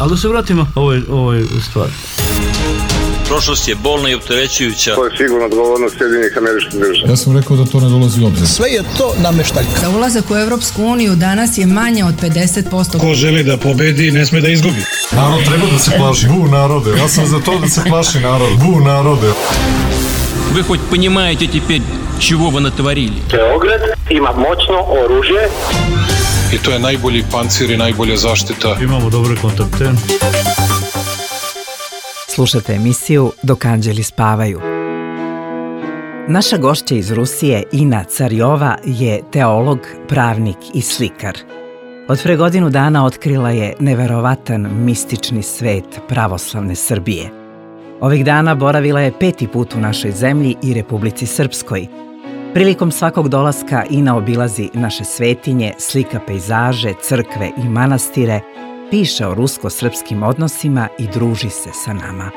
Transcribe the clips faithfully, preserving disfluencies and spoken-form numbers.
Ali da se vratimo ovoj, ovoj stvari. Prošlost je bolna i opterećujuća. To je sigurno odgovornost Sjedinjenih Američkih Država. Ja sam rekao da to ne dolazi u obzir. Sve je to nameštaljka. Za ulazak u Evropsku uniju danas je manje od pedeset posto. Ko želi da pobedi, ne sme da izgubi. Narod treba da se plaši. Bu narode. Ja sam za to da se plaši narod. Bu narode. Вы хоть понимаете теперь, чего вы натворили? Beograd ima moćno oružje. I to je najbolji pancir i najbolja zaštita. Imamo dobre kontakte. Slušate emisiju Dok anđeli spavaju. Naša gošća iz Rusije, Ina Carjova, je teolog, pravnik i slikar. Od pre godinu dana otkrila je neverovatan mistični svet pravoslavne Srbije. Ovih dana boravila je peti put u našoj zemlji i Republici Srpskoj. Prilikom svakog dolaska Ina obilazi naše svetinje, slika pejzaže, crkve i manastire, piše o rusko-srpskim odnosima i druži se sa nama.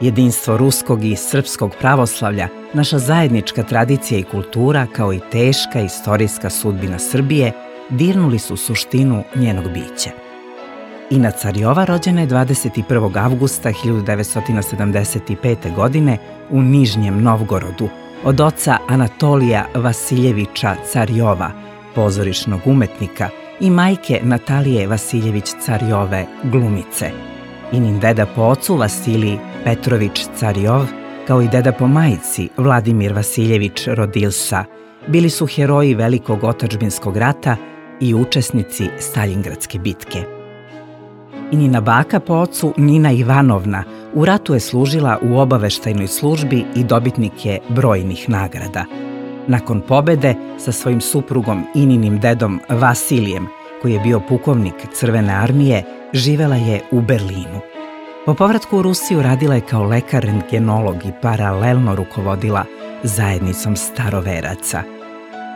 Jedinstvo ruskog i srpskog pravoslavlja, naša zajednička tradicija i kultura, kao i teška istorijska sudbina Srbije, dirnuli su suštinu njenog bića. Ina Carjova rođena je dvadeset prvog avgusta hiljadu devetsto sedamdeset pete. godine u Nižnjem Novgorodu od oca Anatolija Vasiljevića Carjova, pozorišnog umetnika, i majke Natalije Vasiljević-Carjove, glumice. Inin deda po ocu Vasilij Petrović-Carjov, kao i deda po majici Vladimir Vasiljević-Rodilsa, bili su heroji Velikog otadžbinskog rata i učesnici Staljingradske bitke. Inina baka po ocu Nina Ivanovna u ratu je služila u obaveštajnoj službi i dobitnik je brojnih nagrada. Nakon pobede sa svojim suprugom Ininim dedom Vasilijem, koji je bio pukovnik Crvene armije, živela je u Berlinu. Po povratku u Rusiju radila je kao lekar rentgenolog i paralelno rukovodila zajednicom staroveraca.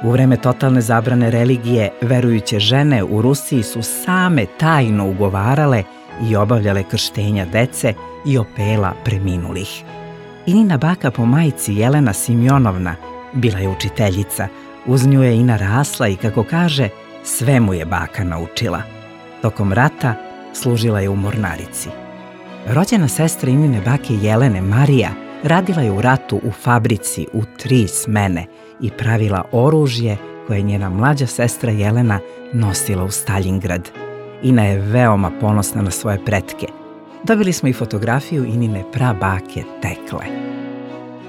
U vreme totalne zabrane religije, verujuće žene u Rusiji su same tajno ugovarale i obavljale krštenja dece i opela preminulih. Inina baka po majici Jelena Simjonovna bila je učiteljica, uz nju je Ina rasla i, kako kaže, sve mu je baka naučila. Tokom rata služila je u mornarici. Rođena sestra Inine bake Jelene, Marija, radila je u ratu u fabrici u tri smene i pravila oružje koje je njena mlađa sestra Jelena nosila u Staljingrad. Ina je veoma ponosna na svoje pretke. Dobili smo i fotografiju Inine prabake Tekle.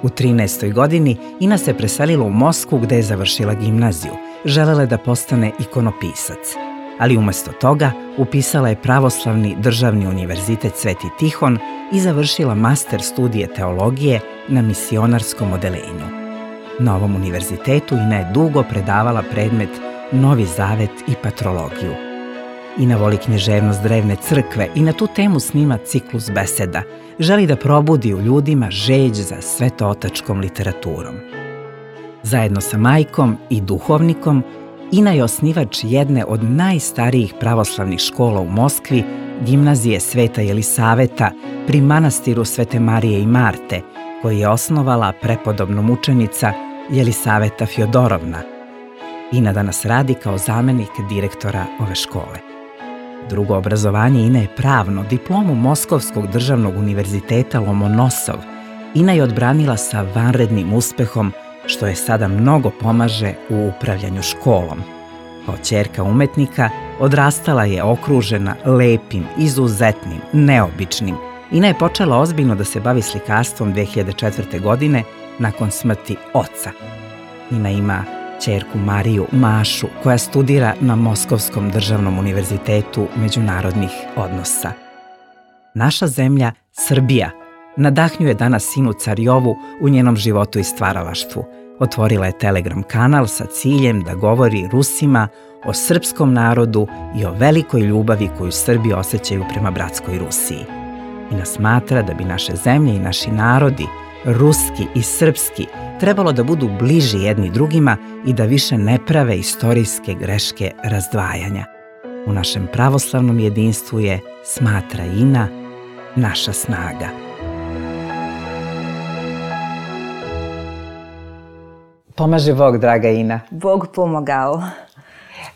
U trinaestoj godini Ina se preselila u Moskvu gde je završila gimnaziju. Želela je da postane ikonopisac, ali umesto toga upisala je Pravoslavni državni univerzitet Sveti Tihon i završila master studije teologije na misionarskom odeljenju. Na ovom univerzitetu Ina je dugo predavala predmet Novi zavet i patrologiju. Ina voli književnost drevne crkve i na tu temu snima ciklus beseda. Želi da probudi u ljudima žeđ za svetootačkom literaturom. Zajedno sa majkom i duhovnikom, Ina je osnivač jedne od najstarijih pravoslavnih škola u Moskvi, gimnazije Sveta Jelisaveta pri manastiru Svete Marije i Marte, koji je osnovala prepodobna mučenica Jelisaveta Fjodorovna. Ina danas radi kao zamenik direktora ove škole. Drugo obrazovanje Ine je pravno, diplomu Moskovskog državnog univerziteta Lomonosov. Ina je odbranila sa vanrednim uspehom, što je sada mnogo pomaže u upravljanju školom. Kao ćerka umetnika odrastala je okružena lepim, izuzetnim, neobičnim. Ina je počela ozbiljno da se bavi slikarstvom dve hiljade četvrte. godine nakon smrti oca. Ina ima ćerku Mariju Mašu, koja studira na Moskovskom državnom univerzitetu međunarodnih odnosa. Naša zemlja, Srbija, nadahnjuje danas Inu Carjovu u njenom životu i stvaralaštvu. Otvorila je Telegram kanal sa ciljem da govori Rusima o srpskom narodu i o velikoj ljubavi koju Srbi osjećaju prema bratskoj Rusiji. Ina smatra da bi naše zemlje i naši narodi, ruski i srpski, trebalo da budu bliži jedni drugima i da više ne prave istorijske greške razdvajanja. U našem pravoslavnom jedinstvu je, smatra Ina, naša snaga. Pomaže Bog, draga Ina. Bog pomogao.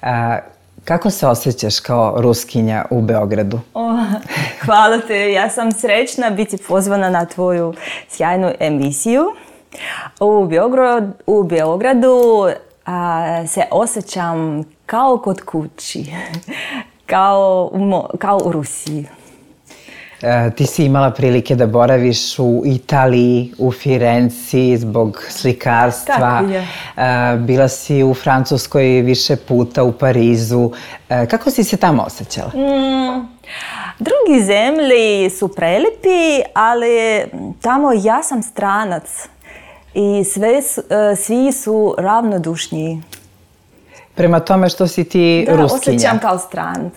A, Kako se osjećaš kao Ruskinja u Beogradu? O, hvala te, ja sam srećna biti pozvana na tvoju sjajnu emisiju. U Beogradu, u Beogradu a, se osjećam kao kod kući, kao, kao u Rusiji. Ti si imala prilike da boraviš u Italiji, u Firenci zbog slikarstva. Tako je. Bila si u Francuskoj više puta, u Parizu. Kako si se tamo osjećala? Mm, drugi zemlji su prelipi, ali tamo ja sam stranac i sve, svi su ravnodušni. Prema tome što si ti da, Ruskinja. Da, osjećam kao stranac.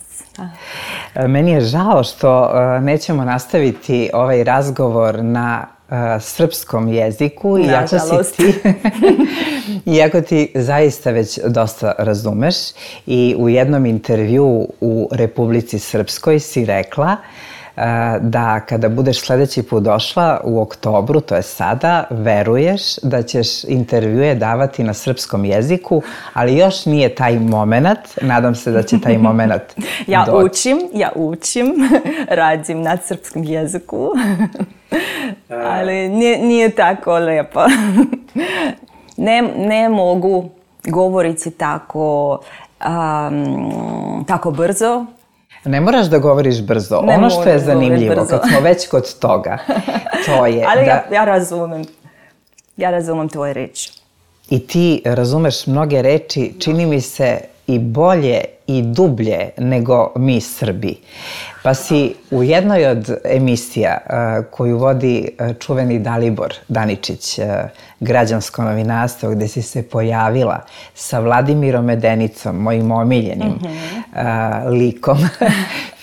Meni je žao što nećemo nastaviti ovaj razgovor na srpskom jeziku, iako si ti, iako ti zaista već dosta razumeš. I u jednom intervjuu u Republici Srpskoj si rekla da kada budeš sledeći put došla u oktobru, to je sada, veruješ da ćeš intervjue davati na srpskom jeziku, ali još nije taj moment. Nadam se da će taj moment ja doći. učim, ja učim, radim na srpskom jeziku, ali nije, nije tako lepo. Ne, ne mogu govoriti tako, um, tako brzo. Ne moraš da govoriš brzo. Ne ono što je zanimljivo, kad smo već kod toga, to je ali da... ja, ja razumem. Ja razumem tvoje reči. I ti razumeš mnoge reči, čini mi se, i bolje i dublje nego mi Srbi. Pa si u jednoj od emisija uh, koju vodi uh, čuveni Dalibor Daničić, uh, građansko novinarstvo, gde si se pojavila sa Vladimirom Medenicom, mojim omiljenim mm-hmm. uh, likom,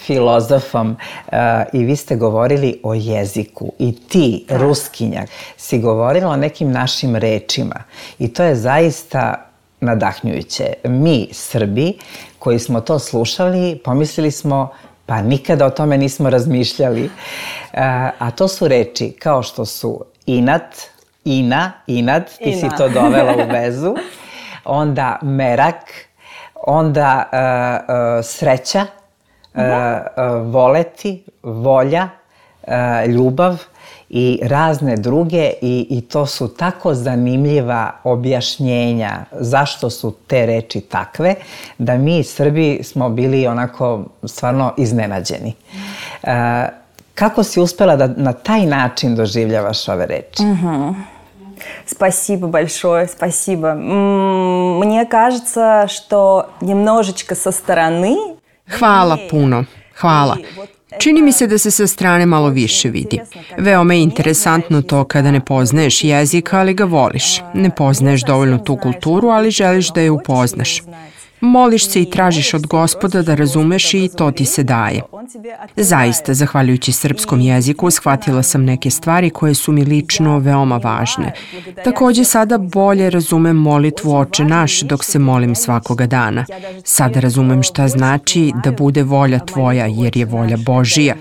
filozofom, uh, i vi ste govorili o jeziku. I ti, da. Ruskinja, si govorila o nekim našim rečima. I to je zaista nadahnjujuće. Mi, Srbi, koji smo to slušali, pomislili smo pa nikada o tome nismo razmišljali. A to su reči kao što su inat, ina, inat, ti ina. Si to dovela u vezu, onda merak, onda uh, uh, sreća, uh, uh, voleti, volja, uh, ljubav i razne druge i, i to su tako zanimljiva objašnjenja zašto su te reči takve, da mi Srbi smo bili onako stvarno iznenađeni. Uh, kako si uspela da na taj način doživljavaš ove reči? Угу. Спасибо большое, спасибо. Мне кажется, что немножечко со стороны... Hvala puno, hvala. Čini mi se da se sa strane malo više vidi. Veoma je interesantno to kada ne poznaješ jezik, ali ga voliš. Ne poznaješ dovoljno tu kulturu, ali želiš da je upoznaš. Moliš se i tražiš od Gospoda da razumeš i to ti se daje. Zaista, zahvaljujući srpskom jeziku, shvatila sam neke stvari koje su mi lično veoma važne. Takođe, sada bolje razumem molitvu Oče naš dok se molim svakoga dana. Sada razumem šta znači da bude volja tvoja, jer je volja Božija.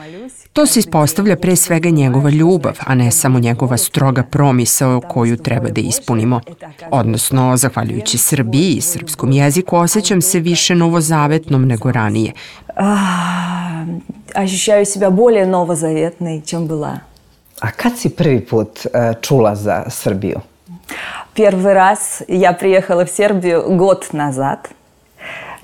To se ispostavlja pre svega njegova ljubav, a ne samo njegova stroga promisao koju treba da ispunimo. Odnosno, zahvaljujući Srbiji i srpskom jeziku, osjećam se više novozavetnom nego ranije. Ощущаю себя более новозаветной, чем была. A kad si prvi put uh, čula za Srbiju? Первый раз я приехала в Сербию год назад.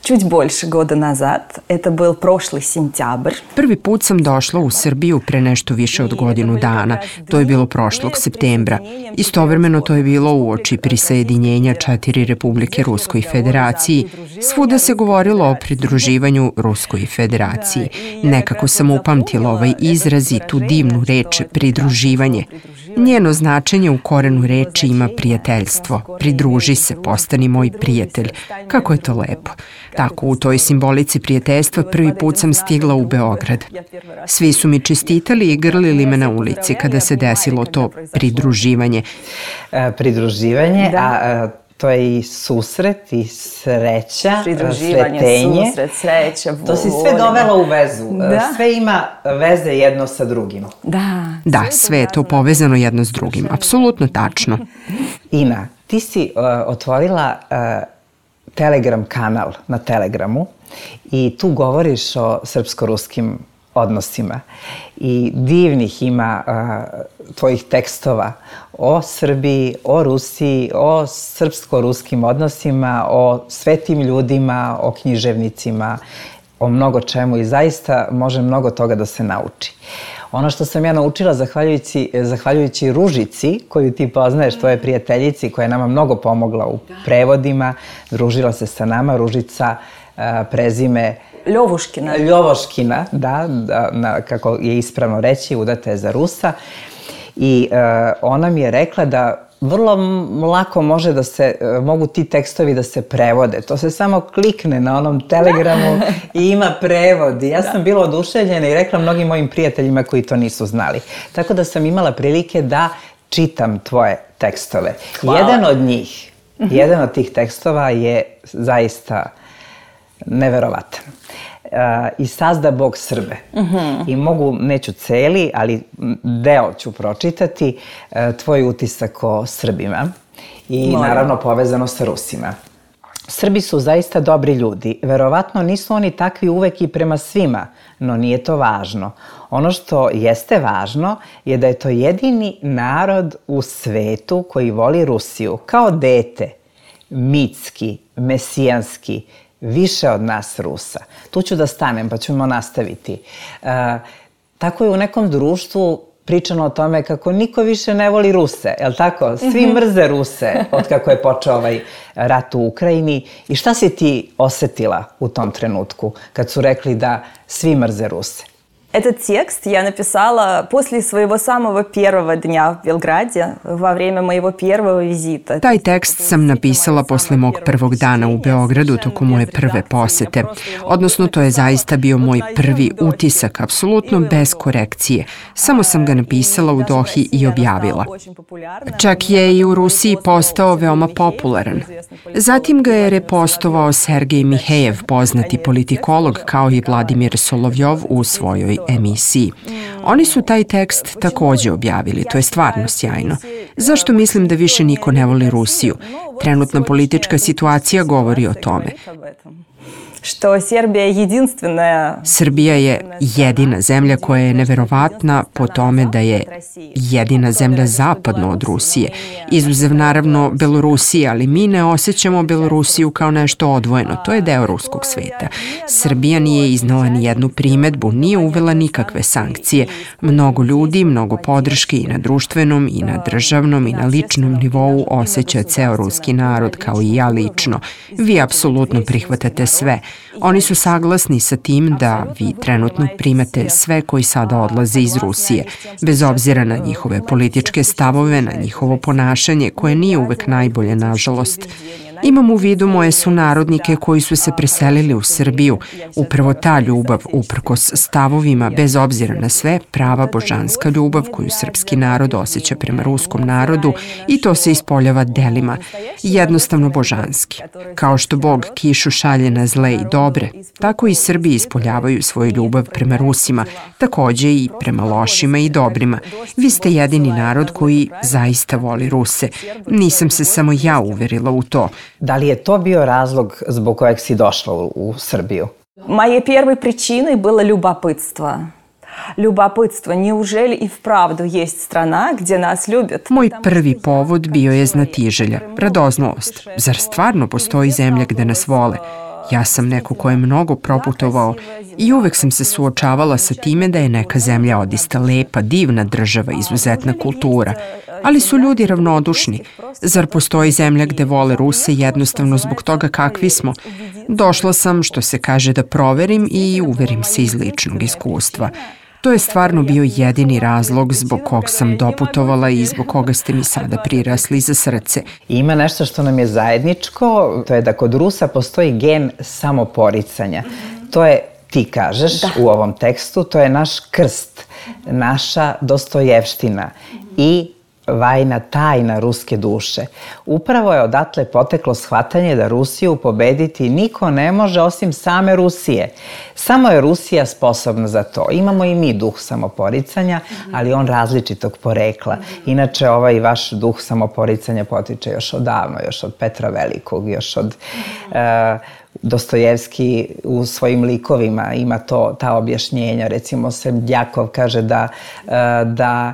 Čуть больше года назад. Это был прошлый сентябрь. Prvi put sam došla u Srbiju pre nešto više od godinu dana. To je bilo prošlog septembra. Istovremeno to je bilo uoči prisajedinjenja četiri republike Ruskoj federaciji. Svuda se govorilo o pridruživanju Ruskoj federaciji. Nekako sam upamtila ovaj izraz i tu divnu reč pridruživanje. Njeno značenje u korenu reči ima prijateljstvo. Pridruži se, postani moj prijatelj. Kako je to lepo. Tako, u toj simbolici prijateljstva prvi put sam stigla u Beograd. Svi su mi čestitali i grlili me na ulici kada se desilo to pridruživanje. E, pridruživanje, da. a to je i susret i sreća, pridruživanje, sretenje. Susret, sreća, volja. To si sve dovela u vezu. Da. Sve ima veze jedno sa drugim. Da. Da, sve je to povezano jedno s drugim. Apsolutno tačno. Ina, ti si uh, otvorila uh, Telegram kanal na Telegramu I tu govoriš o srpsko-ruskim odnosima i divnih ima a, tvojih tekstova o Srbiji, o Rusiji, o srpsko-ruskim odnosima, o svetim ljudima, o književnicima, o mnogo čemu i zaista može mnogo toga da se nauči. Ono što sam ja naučila zahvaljujući, zahvaljujući Ružici, koju ti poznaješ, tvoje prijateljici, koja je nama mnogo pomogla u prevodima, družila se sa nama, Ružica, a, prezime Ljovuškina. Ljovuškina, da, da na, kako je ispravno reći, udata je za Rusa. I uh, ona mi je rekla da vrlo lako može da se, uh, mogu ti tekstovi da se prevode. To se samo klikne na onom telegramu i ima prevod. I ja sam bila oduševljena i rekla mnogim mojim prijateljima koji to nisu znali. Tako da sam imala prilike da čitam tvoje tekstove. Hvala. Jedan od njih, jedan od tih tekstova je zaista neverovatan. Uh, I sazda Bog Srbe. Uh-huh. I mogu, neću celi, ali deo ću pročitati, uh, tvoj utisak o Srbima i Moram. naravno povezano sa Rusima. Srbi su zaista dobri ljudi. Verovatno nisu oni takvi uvek i prema svima, no nije to važno. Ono što jeste važno je da je to jedini narod u svetu koji voli Rusiju kao dete, mitski, mesijanski, više od nas Rusa. Tu ću da stanem pa ćemo nastaviti. E, tako je u nekom društvu pričano o tome kako niko više ne voli Ruse, je li tako? Svi mrze Ruse od kako je počeo ovaj rat u Ukrajini. I šta si ti osetila u tom trenutku kad su rekli da svi mrze Ruse? Этот текст я написала после своего самого первого дня в Белграде, во время моего первого визита. Taj tekst sam napisala posle mog prvog dana u Beogradu tokom moje prve posete. Odnosno, to je zaista bio moj prvi utisak, apsolutno bez korekcije. Samo sam ga napisala u Dohi i objavila. Čak je i u Rusiji postao veoma popularan. Zatim ga je repostovao Sergej Mihejev, poznati politikolog, kao i Vladimir Solovjov u svojoj emisiji. Oni su taj tekst takođe objavili, to je stvarno sjajno. Zašto mislim da više niko ne voli Rusiju? Trenutna politička situacija govori o tome. Što Srbija je jedinstvena... Srbija je jedina zemlja koja je neverovatna po tome da je jedina zemlja zapadno od Rusije. Izuzev naravno Belorusije, ali mi ne osjećamo Belorusiju kao nešto odvojeno. To je deo ruskog sveta. Srbija nije iznala ni jednu primetbu, nije uvela nikakve sankcije. Mnogo ljudi, mnogo podrške i na društvenom, i na državnom, i na ličnom nivou osjeća ceo ruski narod, kao i ja lično. Vi apsolutno prihvatate sve. Oni su saglasni sa tim da vi trenutno primate sve koji sada odlaze iz Rusije, bez obzira na njihove političke stavove, na njihovo ponašanje, koje nije uvek najbolje, nažalost. Imam u vidu moje sunarodnike koji su se preselili u Srbiju. Upravo ta ljubav, uprkos stavovima, bez obzira na sve, prava božanska ljubav koju srpski narod osjeća prema ruskom narodu, i to se ispoljava delima, jednostavno božanski. Kao što Bog kišu šalje na zle i dobre, tako i Srbi ispoljavaju svoju ljubav prema Rusima, takođe i prema lošima i dobrima. Vi ste jedini narod koji zaista voli Ruse. Nisam se samo ja uverila u to. Da li je to bio razlog zbog kojeg si došla u, u Srbiju? Моей первой причиной было любопытство. Любопытство, неужели и вправду есть страна где нас любят? Moj prvi povod bio je znatiželja, radoznalost. Zar stvarno postoji zemlja gde nas vole? Ja sam neko ko je mnogo proputovao i uvek sam se suočavala sa time da je neka zemlja odista lepa, divna država, izuzetna kultura. Ali su ljudi ravnodušni. Zar postoji zemlja gde vole Ruse jednostavno zbog toga kakvi smo? Došla sam, što se kaže, da proverim i uverim se iz ličnog iskustva. To je stvarno bio jedini razlog zbog kog sam doputovala i zbog koga ste mi sada prirasli za srce. Ima nešto što nam je zajedničko, to je da kod Rusa postoji gen samoporicanja. To je, ti kažeš da. U ovom tekstu, to je naš krst, naša Dostojevština i vajna tajna ruske duše. Upravo je odatle poteklo shvatanje da Rusiju pobediti niko ne može osim same Rusije. Samo je Rusija sposobna za to. Imamo i mi duh samoporicanja, ali on različitog porekla. Inače, ovaj vaš duh samoporicanja potiče još odavno, još od Petra Velikog, još od... Uh, Dostojevski u svojim likovima ima to, ta objašnjenja. Recimo, Srdjakov kaže da, da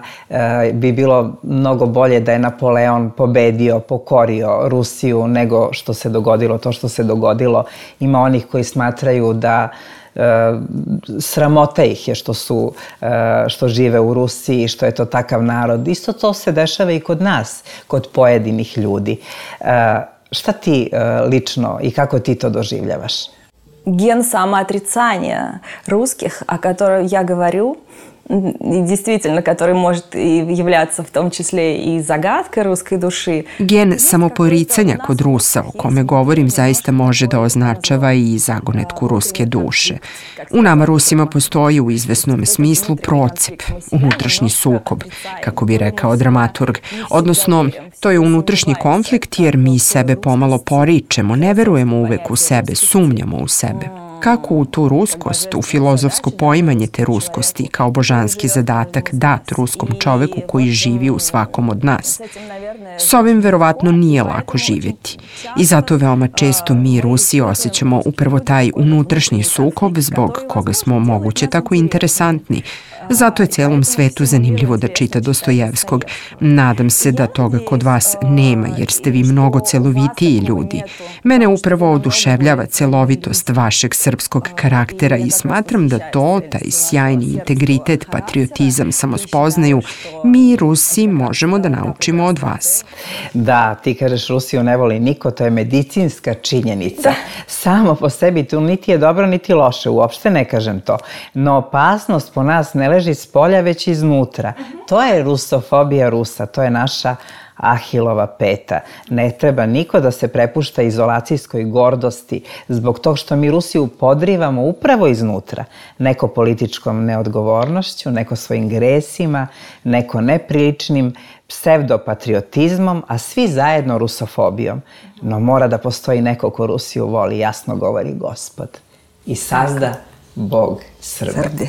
bi bilo mnogo bolje da je Napoleon pobedio, pokorio Rusiju nego što se dogodilo to što se dogodilo. Ima onih koji smatraju da sramota ih je što su, što žive u Rusiji, što je to takav narod. Isto to se dešava i kod nas, kod pojedinih ljudi. Šta ti lično и kako ti to doživljavaš? Ген самоотрицания русских, о котором я говорю, и действительно, который может и являться в том числе и загадкой русской души. Gen samoporicanja kod Rusa, o kome govorim, zaista može da označava i zagonetku ruske duše. U nama Rusima postoji u izvesnom smislu procep, unutrašnji sukob, kako bi rekao dramaturg. Odnosno, to je unutrašnji konflikt jer mi sebe pomalo poričemo, ne verujemo uvek u sebe, sumnjamo u sebe. Kako u tu ruskost, u filozofsko poimanje te ruskosti kao božanski zadatak dat ruskom čoveku koji živi u svakom od nas. S ovim verovatno nije lako živjeti i zato veoma često mi Rusi osjećamo upravo taj unutrašnji sukob zbog koga smo moguće tako interesantni. Zato je celom svetu zanimljivo da čita Dostojevskog. Nadam se da toga kod vas nema, jer ste vi mnogo celovitiji ljudi. Mene upravo oduševljava celovitost vašeg srpskog karaktera i smatram da to, taj sjajni integritet, patriotizam, samospoznaju, mi Rusi možemo da naučimo od vas. Da, ti kažeš Rusiju ne voli niko, to je medicinska činjenica. Samo po sebi tu niti je dobro, niti loše, uopšte ne kažem to. No opasnost po nas ne leži s polja, već iznutra. To je rusofobija Rusa, to je naša Ahilova peta. Ne treba niko da se prepušta izolacijskoj gordosti zbog tog što mi Rusiju podrivamo upravo iznutra. Neko političkom neodgovornošću, neko svojim gresima, neko nepriličnim psevdopatriotizmom, a svi zajedno rusofobijom. No mora da postoji neko ko Rusiju voli, jasno govori Gospod. I sazda Bog Srbe.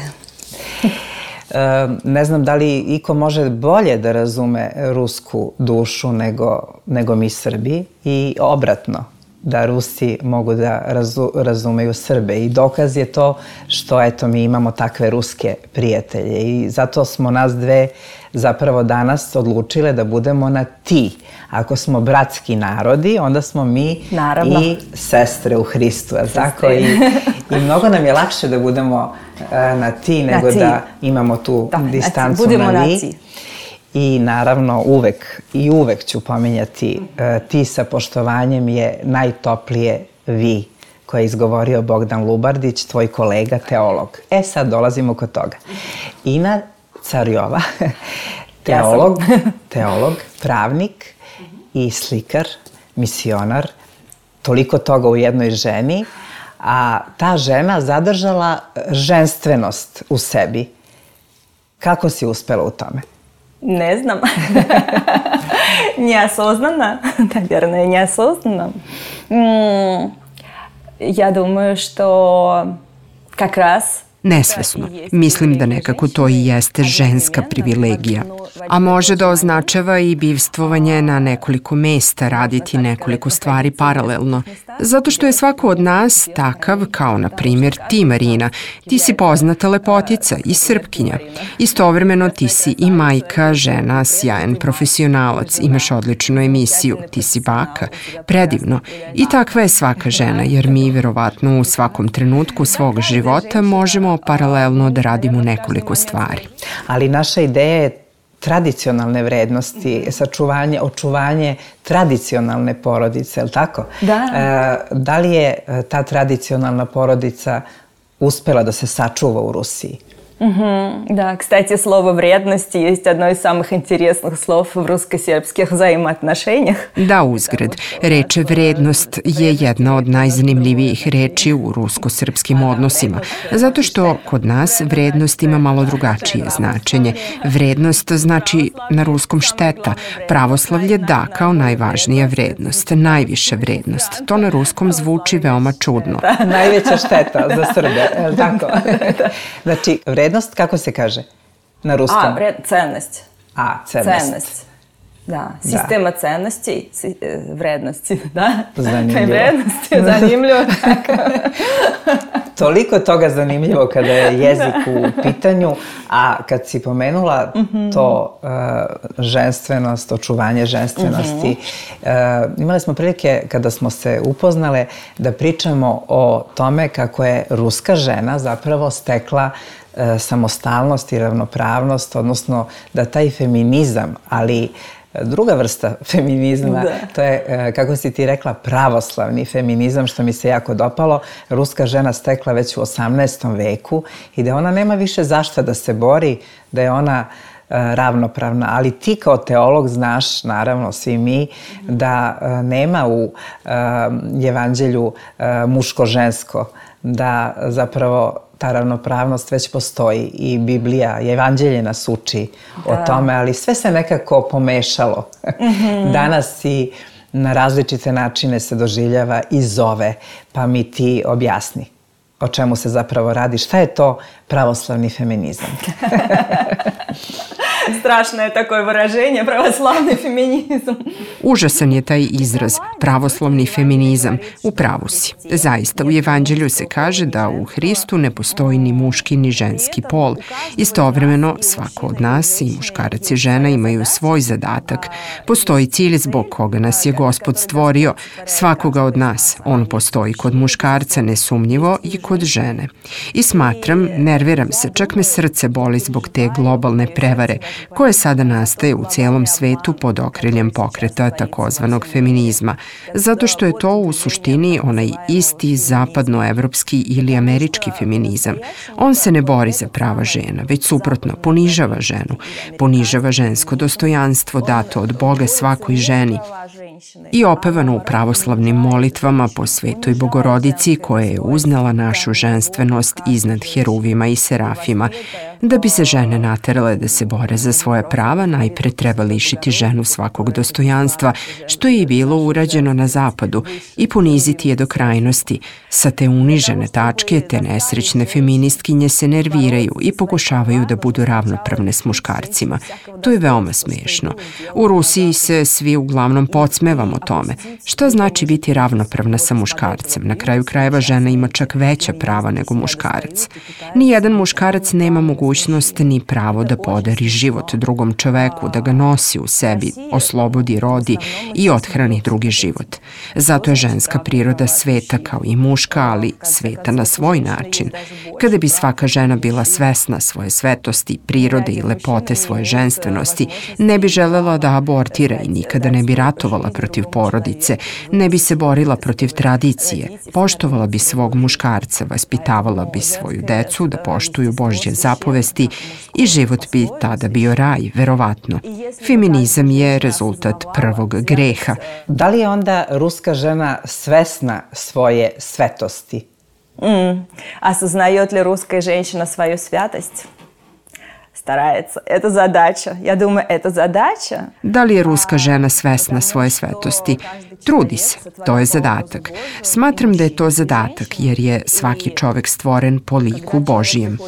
Ne znam da li iko može bolje da razume rusku dušu nego, nego mi Srbi i obratno, da Rusi mogu da razu, razumeju Srbe. I dokaz je to što eto mi imamo takve ruske prijatelje i zato smo nas dve zapravo danas odlučile da budemo na ti. Ako smo bratski narodi, onda smo mi Naravno. I sestre u Hristu. Tako? I, I mnogo nam je lakše da budemo na ti nego na ti. Da imamo tu da, distancu budemo na vi. Na ti. I naravno uvek i uvek ću pominjati ti sa poštovanjem je najtoplije vi koje je izgovorio Bogdan Lubardić, tvoj kolega, teolog. E sad dolazimo kod toga. Ina Carjova, teolog, teolog, pravnik i slikar, misionar, toliko toga u jednoj ženi, a ta žena zadržala ženstvenost u sebi. Kako si uspela u tome? Не знам. Неосознанно. Наверное, неосознанно. Я думаю, что как раз nesvesno. Mislim da nekako to i jeste ženska privilegija. A može da označava i bivstvovanje na nekoliko mesta, raditi nekoliko stvari paralelno. Zato što je svako od nas takav kao, na primjer, ti, Marina. Ti si poznata lepotica i Srpkinja. Istovremeno ti si i majka, žena, sjajan profesionalac, imaš odličnu emisiju, ti si baka. Predivno. I takva je svaka žena, jer mi verovatno u svakom trenutku svog života možemo paralelno da radimo nekoliko stvari. Ali naša ideja je tradicionalne vrednosti, sačuvanje, očuvanje tradicionalne porodice, je li tako? Da. E, da li je ta tradicionalna porodica uspela da se sačuva u Rusiji? Угу. Да, кстати, слово «вредности» есть одно из самых интересных слов в русско-сербских взаимоотношениях. Da, uzgred. Reč vrednost je jedna od najzanimljivijih reči u rusko-srpskim odnosima, zato što kod nas vrednost ima malo drugačije značenje. Vrednost znači na ruskom šteta, pravoslavlje da kao najvažnija vrednost, najviša vrednost. To na ruskom zvuči veoma čudno. Da, najveća šteta za Srbe, je li tako? Znači, vrednost, kako se kaže na ruskom? A, vred, cennost. A, cennost. Cennost. Da, sistema da. Cennosti, vrednosti, da? Zanimljivo. Vrednosti, zanimljivo. Toliko toga zanimljivo kada je jezik u pitanju, a kad si pomenula mm-hmm. to uh, ženstvenost, očuvanje ženstvenosti, mm-hmm. uh, imali smo prilike kada smo se upoznale da pričamo o tome kako je ruska žena zapravo stekla uh, samostalnost i ravnopravnost, odnosno da taj feminizam, ali druga vrsta feminizma, da. To je, kako si ti rekla, pravoslavni feminizam, što mi se jako dopalo. Ruska žena stekla već u osamnaestom veku i da ona nema više zašta da se bori, da je ona ravnopravna, ali ti kao teolog znaš, naravno svi mi, da nema u evanđelju muško-žensko, da zapravo ta ravnopravnost već postoji i Biblija, evanđelje nas uči da. O tome, ali sve se nekako pomešalo. Mm-hmm. Danas i na različite načine se doživljava i zove, pa mi ti objasni o čemu se zapravo radi. Šta je to pravoslavni feminizam? Strašno je tako vyraženje, pravoslavni feminizam. Užasan je taj izraz, pravoslavni feminizam. U pravu si. Zaista, u evanđelju se kaže da u Hristu ne postoji ni muški ni ženski pol. Istovremeno, svako od nas, i muškarac i žena, imaju svoj zadatak. Postoji cilj zbog koga nas je Gospod stvorio. Svakoga od nas. On postoji kod muškarca nesumnjivo i kod žene. I smatram, nerviram se, čak me srce boli zbog te globalne prevare koje sada nastaje u cijelom svetu pod okriljem pokreta takozvanog feminizma, zato što je to u suštini onaj isti zapadnoevropski ili američki feminizam. On se ne bori za prava žena, već suprotno, ponižava ženu, ponižava žensko dostojanstvo dato od Boga svakoj ženi i opevano u pravoslavnim molitvama po Svetoj Bogorodici koja je uznala našu ženstvenost iznad heruvima i serafima. Da bi se žene naterale da se bore za svoje prava, najpre treba lišiti ženu svakog dostojanstva, što je i bilo urađeno na zapadu, i poniziti je do krajnosti. Sa te unižene tačke, te nesrećne feministkinje se nerviraju i pokušavaju da budu ravnopravne s muškarcima. To je veoma smešno. U Rusiji se svi uglavnom podsmevamo tome. Šta znači biti ravnopravna sa muškarcem? Na kraju krajeva žena ima čak veća prava nego muškarac. Nijedan muškarac nema mogućnost ni pravo da podari život drugom čoveku, da ga nosi u sebi, oslobodi, rodi i othrani drugi život. Zato je ženska priroda sveta kao i muška, ali sveta na svoj način. Kada bi svaka žena bila svesna svoje svetosti, prirode i lepote svoje ženstvenosti, ne bi želela da abortira i nikada ne bi ratovala protiv porodice, ne bi se borila protiv tradicije, poštovala bi svog muškarca, vaspitavala bi svoju decu da poštuju Božje zapovesti i život bi tada bio raj, verovatno. Feminizam je rezultat prvog greha. Da li je onda ruska žena svesna svoje svetosti? Mm. Осознает ли русская женщина свою святость? Старается. Это задача. Я думаю, это задача. Da li je ruska žena svesna svoje svetosti? Trudi se. To je zadatak. Smatram da je to zadatak jer je svaki čovek stvoren po liku Božijem.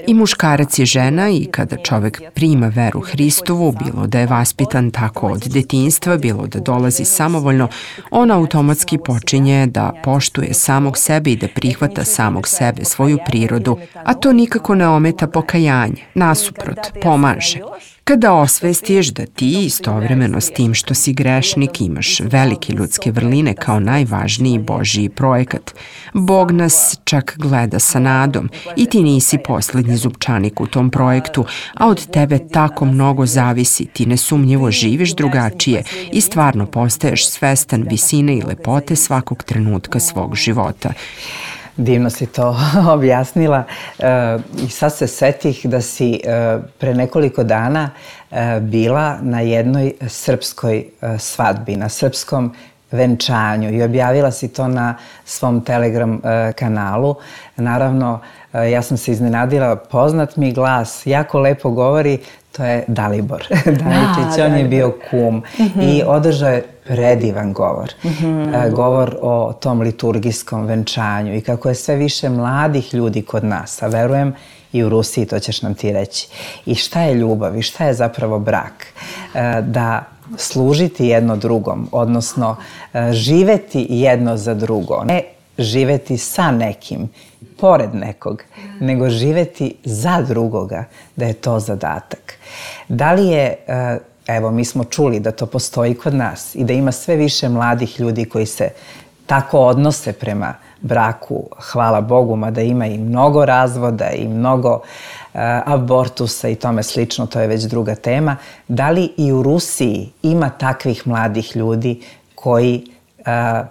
I muškarac i žena, i kada čovek prima veru Hristovu, bilo da je vaspitan tako od detinjstva, bilo da dolazi samovoljno, on automatski počinje da poštuje samog sebe i da prihvata samog sebe, svoju prirodu, a to nikako ne ometa pokajanje, nasuprot, pomaže. Kada osvestiš da ti istovremeno s tim što si grešnik imaš velike ljudske vrline kao najvažniji Božji projekat, Bog nas čak gleda sa nadom i ti nisi poslednji zupčanik u tom projektu, a od tebe tako mnogo zavisi, ti nesumnjivo živiš drugačije i stvarno postaješ svestan visine i lepote svakog trenutka svog života. Divno si to objasnila e, i sad se setih da si e, pre nekoliko dana e, bila na jednoj srpskoj e, svadbi, na srpskom venčanju i objavila si to na svom Telegram e, kanalu. Naravno, e, ja sam se iznenadila, poznat mi glas, jako lepo govori, to je Dalibor Daničić, on je bio kum mm-hmm. i održao je predivan govor. Mm-hmm. E, govor o tom liturgijskom venčanju i kako je sve više mladih ljudi kod nas, a verujem i u Rusiji, to ćeš nam ti reći. I šta je ljubav i šta je zapravo brak? E, da služiti jedno drugom, odnosno živeti jedno za drugo. Ne živeti sa nekim, pored nekog, nego živeti za drugoga, da je to zadatak. Da li je, evo, mi smo čuli da to postoji kod nas i da ima sve više mladih ljudi koji se tako odnose prema braku, hvala Bogu, mada ima i mnogo razvoda i mnogo abortusa i tome slično, to je već druga tema. Da li i u Rusiji ima takvih mladih ljudi koji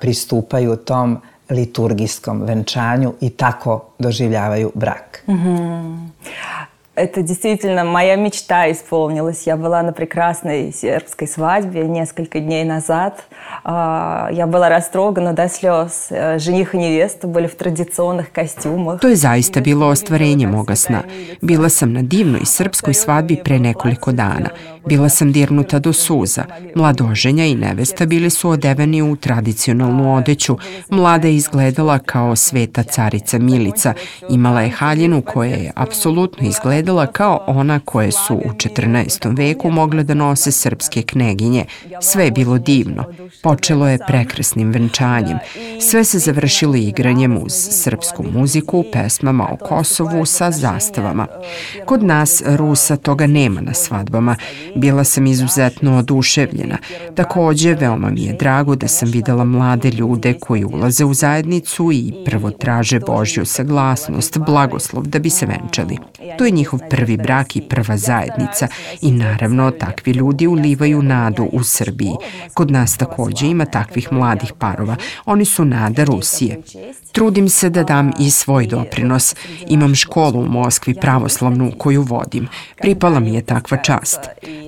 pristupaju tom liturgijskom venčanju и tako doživljavaju брак? Это действительно моя мечта исполнилась. Я была на прекрасной сербской свадьбе несколько дней назад. Я была растрогана до слез. Жених и невеста были в традиционных костюмах. To je zaista bilo ostvarenje moga sna. Bila sam na divnoj srpskoj svadbi pre nekoliko dana. Bila sam dirnuta do suza. Mladoženja i nevesta bili su odeveni u tradicionalnu odeću. Mlada je izgledala kao sveta carica Milica. Imala je haljinu koja je apsolutno izgledala kao ona koje su u četrnaestom veku mogle da nose srpske kneginje. Sve je bilo divno. Počelo je prekrasnim venčanjem. Sve se završilo igranjem uz srpsku muziku, pesmama o Kosovu sa zastavama. Kod nas, Rusa, toga nema na svadbama. Bila sam izuzetno oduševljena. Takođe, veoma mi je drago da sam videla mlade ljude koji ulaze u zajednicu i prvo traže Božju saglasnost, blagoslov da bi se venčali. To je njihov prvi brak i prva zajednica i naravno takvi ljudi ulivaju nadu u Srbiji. Kod nas takođe ima takvih mladih parova. Oni su nada Rusije. Trudim se da dam i svoj doprinos. Imam školu u Moskvi pravoslavnu koju vodim. Pripala mi je takva čast.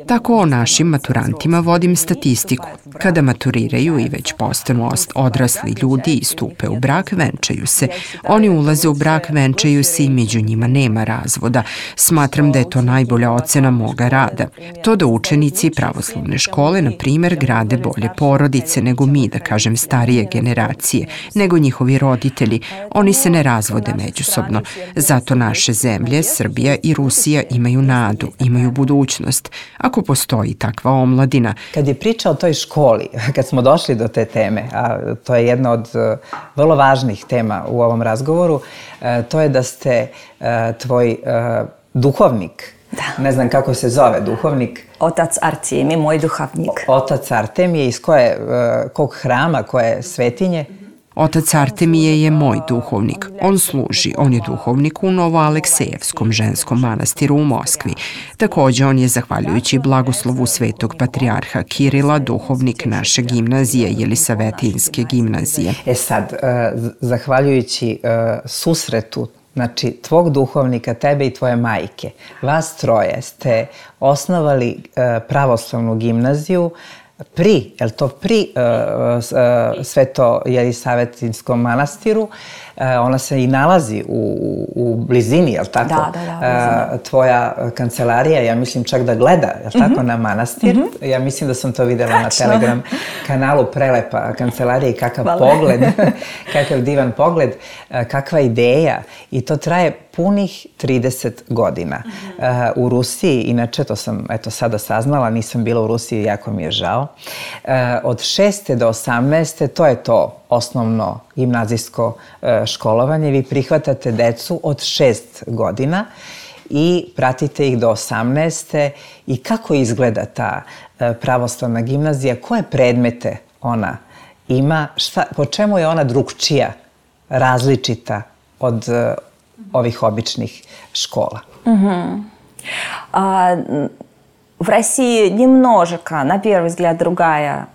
Tako o našim maturantima vodim statistiku. Kada maturiraju i već postanu odrasli ljudi i stupe u brak, venčaju se. Oni ulaze u brak, venčaju se i među njima nema razvoda. Smatram da je to najbolja ocena moga rada. To da učenici pravoslavne škole, na primjer, grade bolje porodice nego mi, da kažem starije generacije, nego njihovi roditelji. Oni se ne razvode međusobno. Zato naše zemlje, Srbija i Rusija, imaju nadu, imaju budućnost. Ako postoji takva omladina. Kad je priča o toj školi, kad smo došli do te teme, a to je jedna od vrlo važnih tema u ovom razgovoru, to je da ste tvoj duhovnik, ne znam kako se zove duhovnik. Otac Artemije, moj duhovnik. Otac Artemije, iz koje, kog hrama, koje svetinje? Otac Artemije je moj duhovnik. On služi, on je duhovnik u Novoaleksejevskom ženskom manastiru u Moskvi. Takođe, on je, zahvaljujući blagoslovu svetog patrijarha Kirila, duhovnik naše gimnazije, Jelisavetinske gimnazije. E sad, zahvaljujući susretu, znači, tvog duhovnika, tebe i tvoje majke, vas troje ste osnovali pravoslavnu gimnaziju pri, je li to pri Sveto Jelisavetinskom manastiru, ona se i nalazi u, u blizini, je li tako? Da, da, da. Tvoja kancelarija, ja mislim čak da gleda, je li tako, mm-hmm. na manastir. Mm-hmm. Ja mislim da sam to videla Tačno. Na Telegram kanalu, prelepa kancelarija i kakav Hvala. Pogled, kakav divan pogled, kakva ideja. I to traje punih trideset godina. Uh, u Rusiji, inače, to sam eto sada saznala, nisam bila u Rusiji, jako mi je žao. Uh, od šeste do osamnaeste, to je to osnovno gimnazijsko uh, školovanje. Vi prihvatate decu od šest godina i pratite ih do osamnaeste. I kako izgleda ta uh, pravoslavna gimnazija? Koje predmete ona ima? Šta, po čemu je ona drugčija, različita od uh, ovih običnih школа. Угу. А, в России немножко, на первый взгляд, другая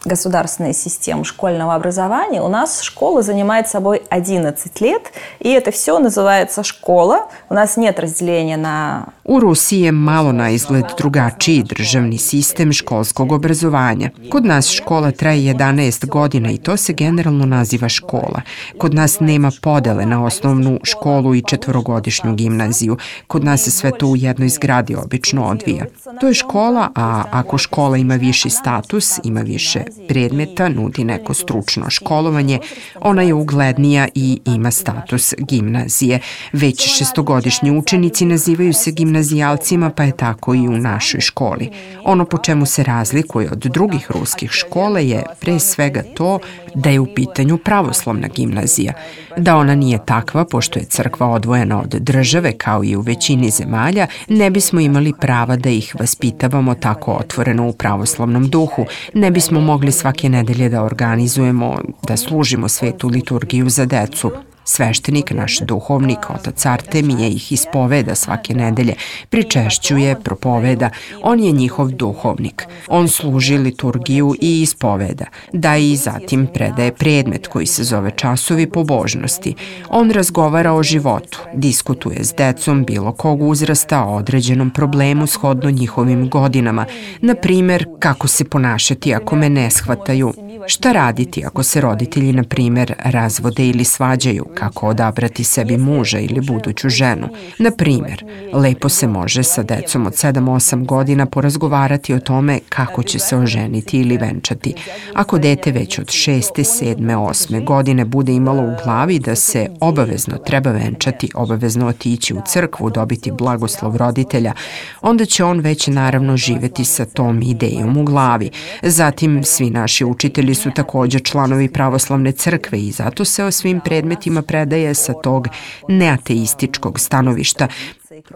государственная система школьного образования. У нас школа занимает собой одиннадцать лет, и это все называется школа. У нас нет разделения на... U Rusiji je malo na izgled drugačiji državni sistem školskog obrazovanja. Kod nas škola traje jedanaest godina i to se generalno naziva škola. Kod nas nema podele na osnovnu školu i četvorogodišnju gimnaziju. Kod nas se sve to u jednoj zgradi obično odvija. To je škola, a ako škola ima viši status, ima više predmeta nudi neko stručno školovanje, ona je uglednija i ima status gimnazije. Već šestogodišnji učenici nazivaju se gimnazijalcima, pa je tako i u našoj školi. Ono po čemu se razlikuje od drugih ruskih škola je pre svega to da je u pitanju pravoslavna gimnazija. Da ona nije takva, pošto je crkva odvojena od države, kao i u većini zemalja, ne bismo imali prava da ih vaspitavamo tako otvoreno u pravoslavnom duhu. Ne bismo mogli svake nedelje da organizujemo, da služimo svetu liturgiju za decu. Sveštenik, naš duhovnik, otac Artemije, ih ispoveda svake nedelje, pričešćuje, propoveda. On je njihov duhovnik. On služi liturgiju i ispoveda, da i zatim predaje predmet koji se zove časovi pobožnosti. On razgovara o životu, diskutuje s decom bilo kog uzrasta o određenom problemu shodno njihovim godinama. Na primer, kako se ponašati ako me ne shvataju, šta raditi ako se roditelji, na primer, razvode ili svađaju, kako odabrati sebi muža ili buduću ženu. Na primer, lepo se može sa decom od sedam osam godina porazgovarati o tome kako će se oženiti ili venčati. Ako dete već od šeste, sedme, osme godine bude imalo u glavi da se obavezno treba venčati, obavezno otići u crkvu, dobiti blagoslov roditelja, onda će on već naravno živeti sa tom idejom u glavi. Zatim, svi naši učitelji su također članovi pravoslavne crkve i zato se o svim predmetima predaje sa tog neateističkog stanovišta.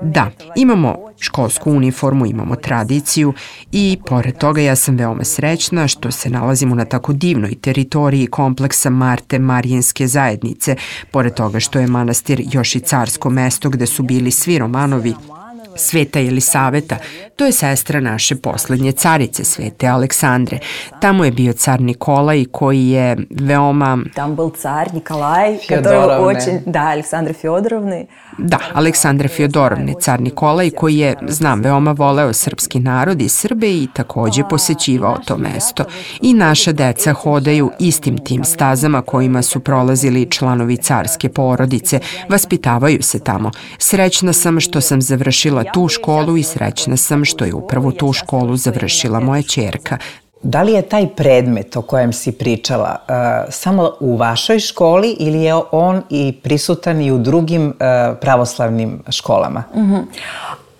Da, imamo školsku uniformu, imamo tradiciju i pored toga ja sam veoma srećna što se nalazimo na tako divnoj teritoriji kompleksa Marte Marijanske zajednice, pored toga što je manastir još i carsko mesto gde su bili svi Romanovi. Sveta Jelisaveta, to je sestra naše poslednje carice, Svete Aleksandre. Tamo je bio car Nikolaj koji je veoma... Tam byl car Nikolaj, который очень... Da, Aleksandre Fjodorovne. Da, Aleksandre Fjodorovne, car Nikolaj koji je, znam, veoma voleo srpski narod i Srbe i takođe posećivao to mesto. I naša deca hodaju istim tim stazama kojima su prolazili članovi carske porodice, vaspitavaju se tamo. Srećna sam što sam završila tu školu i srećna sam što je upravo tu školu završila moja ćerka. Da li je taj predmet o kojem si pričala uh, samo u vašoj školi ili je on i prisutan i u drugim uh, pravoslavnim školama? Mm-hmm.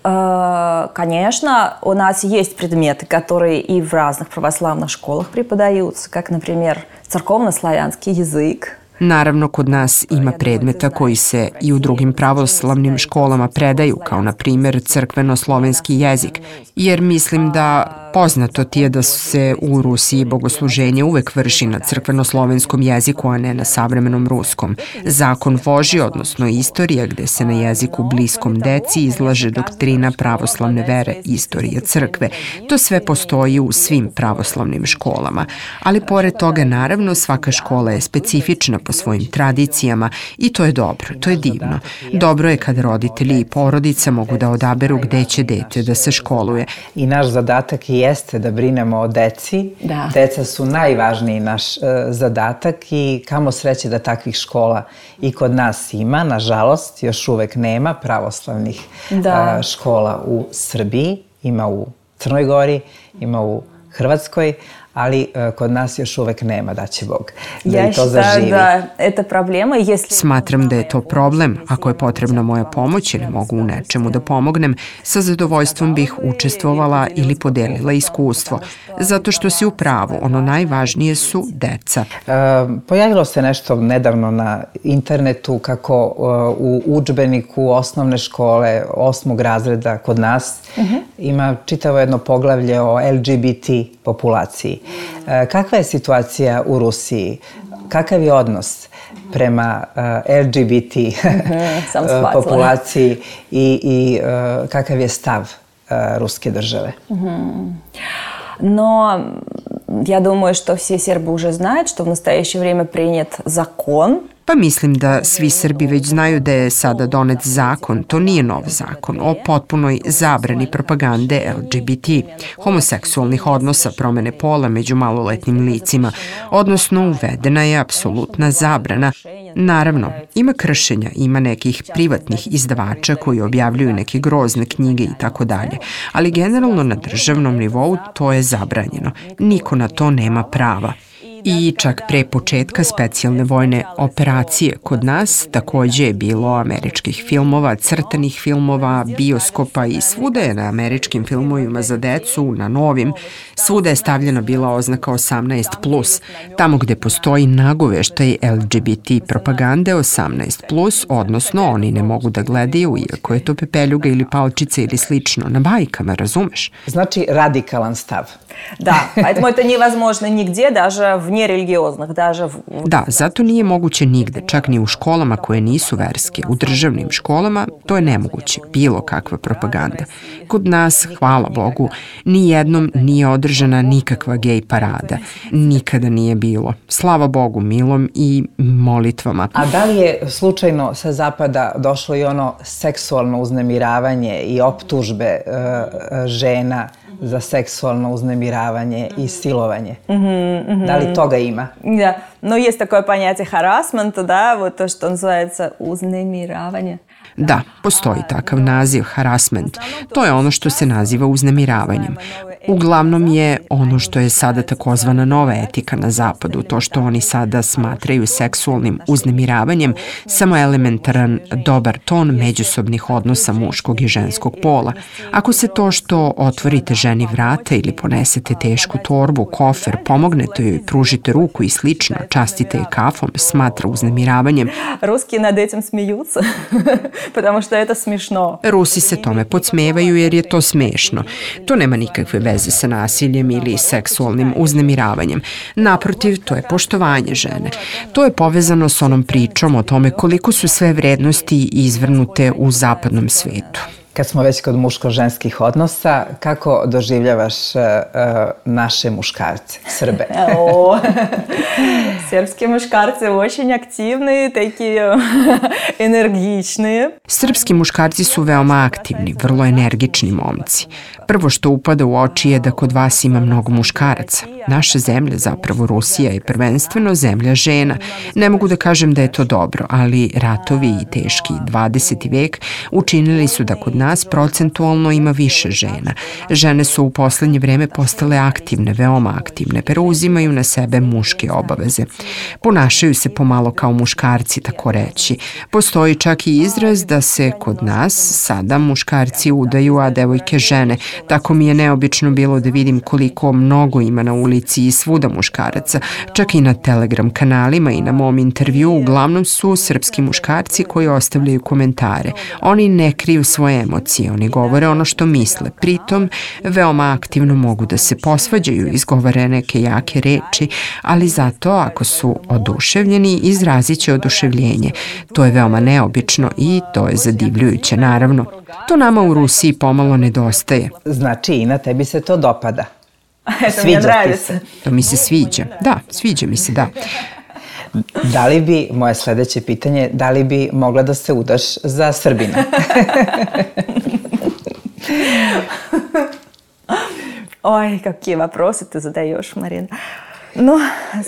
Uh, конечно, у нас есть предметы, которые и в разных православных школах преподаются, как, например, церковно-славянский язык. Naravno, kod nas ima predmeta koji se i u drugim pravoslavnim školama predaju, kao na primjer crkveno-slovenski jezik, jer mislim da poznato ti je da se u Rusiji bogosluženje uvek vrši na crkveno-slovenskom jeziku, a ne na savremenom ruskom. Zakon Božji, odnosno istorija, gde se na jeziku bliskom deci izlaže doktrina pravoslavne vere, istorija crkve. To sve postoji u svim pravoslavnim školama. Ali pored toga, naravno, svaka škola je specifična po svojim tradicijama i to je dobro, to je divno. Dobro je kad roditelji i porodica mogu da odaberu gde će dete da se školuje. I naš zadatak jeste da brinemo o deci. Da. Deca su najvažniji naš uh, zadatak i kamo sreće da takvih škola i kod nas ima. Nažalost, još uvek nema pravoslavnih da. uh, škola u Srbiji. Ima u Crnoj Gori, ima u Hrvatskoj, ali uh, kod nas još uvek nema, da će Bog da ja i to zaživi. Da, это проблема, если... Smatram da je to problem. Ako je potrebna moja pomoć ili mogu u nečemu da pomognem, sa zadovoljstvom bih učestvovala ili podelila iskustvo. Zato što si u pravu, ono najvažnije su deca. Uh, pojavilo se nešto nedavno na internetu kako uh, u udžbeniku osnovne škole osmog razreda kod nas uh-huh. ima čitavo jedno poglavlje o L G B T populaciji. Kakva je situacija u Rusiji? Kakav je odnos prema uh, L G B T uh, populaciji i, i uh, kakav je stav uh, ruske države? Mm-hmm. Но я думаю, что все сербы уже знают, что в настоящее время принят закон Pa mislim da svi Srbi već znaju da je sada donet zakon, to nije nov zakon, o potpunoj zabrani propagande L G B T, homoseksualnih odnosa, promene pola među maloletnim licima, odnosno uvedena je apsolutna zabrana. Naravno, ima kršenja, ima nekih privatnih izdavača koji objavljuju neke grozne knjige i tako dalje, ali generalno na državnom nivou to je zabranjeno. Niko na to nema prava. I čak pre početka specijalne vojne operacije kod nas takođe je bilo američkih filmova, crtanih filmova, bioskopa i svuda je na američkim filmovima za decu, na novim, svuda je stavljena bila oznaka osamnaest plus. Tamo gde postoji nagoveštaj L G B T propagande osamnaest plus, odnosno oni ne mogu da gledaju, iako je to pepeljuga ili palčica ili slično, na bajkama, razumeš? Znači radikalan stav. Да, поэтому это невозможно нигде, даже в нерелигиозных, даже в... Da, zato nije moguće nigde, čak ni u školama koje nisu verske. U državnim školama to je nemoguće, bilo kakva propaganda. Kod nas, hvala Bogu, ni jednom nije održana nikakva gej parada. Nikada nije bilo. Slava Bogu milom i molitvama. A da li je slučajno sa zapada došlo i ono seksualno uznemiravanje i optužbe uh, žena za seksualno uznemiravanje i silovanje? Mm-hmm, mm-hmm. Da li toga ima? Да, но есть такое понятие харассмента, да, вот то, что называется узнемиравание. Da, postoji takav naziv, harassment. To je ono što se naziva uznemiravanjem. Uglavnom je ono što je sada takozvana nova etika na zapadu, to što oni sada smatraju seksualnim uznemiravanjem, samo elementaran dobar ton međusobnih odnosa muškog i ženskog pola. Ako se to što otvorite ženi vrata ili ponesete tešku torbu, kofer, pomognete joj, pružite ruku i slično, častite je kafom, smatra uznemiravanjem. Ruski nad этим смеются, потому что это смешно. Rusi se tome podsmevaju jer je to smešno. To nema nikakve veze sa nasiljem ili seksualnim uznemiravanjem. Naprotiv, to je poštovanje žene. To je povezano s onom pričom o tome koliko su sve vrednosti izvrnute u zapadnom svetu. Kad smo već kod muško-ženskih odnosa, kako doživljavaš uh, naše muškarce, Srbe? О, Srpski muškarci очень активные, такие энергичные. Srpski muškarci su veoma aktivni, vrlo energični momci. Prvo što upada u oči je da kod vas ima mnogo muškaraca. Naša zemlja, zapravo Rusija, je prvenstveno zemlja žena. Ne mogu da kažem da je to dobro, ali ratovi i teški dvadeseti vek učinili su da kod nas procentualno ima više žena. Žene su u poslednje vreme postale aktivne, veoma aktivne, preuzimaju na sebe muške obaveze. Ponašaju se pomalo kao muškarci, tako reći. Postoji čak i izraz da se kod nas sada muškarci udaju, a devojke žene. Tako mi je neobično bilo da vidim koliko mnogo ima na ulici i svuda muškaraca. Čak i na Telegram kanalima i na mom intervju uglavnom su srpski muškarci koji ostavljaju komentare. Oni ne kriju svoje emocije, oni govore ono što misle. Pritom, veoma aktivno mogu da se posvađaju, izgovore neke jake reči, ali zato ako su oduševljeni, izrazit će oduševljenje. To je veoma neobično i to je zadivljujuće, naravno. To nama u Rusiji pomalo nedostaje. Znači, i na tebi se to dopada. Это мне нравится. To mi se sviđa. Da, sviđa mi se, da. Da li bi, moje sledeće pitanje, da li bi mogla da se udaš za Srbina? Ой, какие вопросы ты задаешь, Марина. Ну,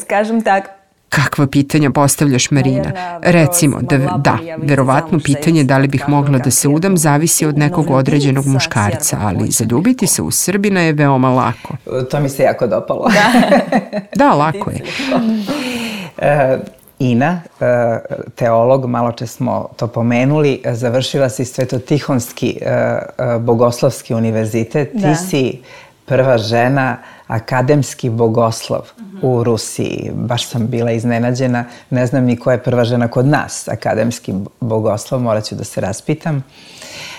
скажем так, Kakva pitanja postavljaš, Marina? Recimo, da, da, verovatno pitanje da li bih mogla da se udam zavisi od nekog određenog muškarca, ali zaljubiti se u Srbina je veoma lako. To mi se jako dopalo. Da, lako je. Ina, teolog, malo če smo to pomenuli, završila si Svetotihonski bogoslovski univerzitet. Ti si prva žena akademski bogoslov u Rusiji. Baš sam bila iznenađena. Ne znam ni ko je prva žena kod nas akademski bogoslov, morat ću da se raspitam.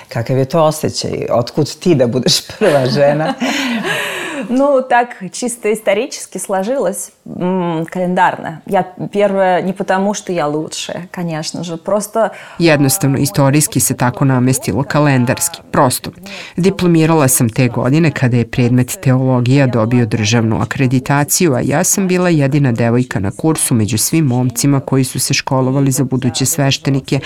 Kakav je to osjećaj? Otkud ti da budeš prva žena? Ну, так чисто исторически сложилось. м, календарно. Я первое не потому, что я лучше, конечно же, просто... Jednostavno, istorijski se tako namestilo kalendarski. Prosto. Diplomirala sam te godine kada je predmet teologija dobio državnu akreditaciju, a ja sam bila jedina devojka na kursu među svim momcima koji su se školovali za buduće sveštenike.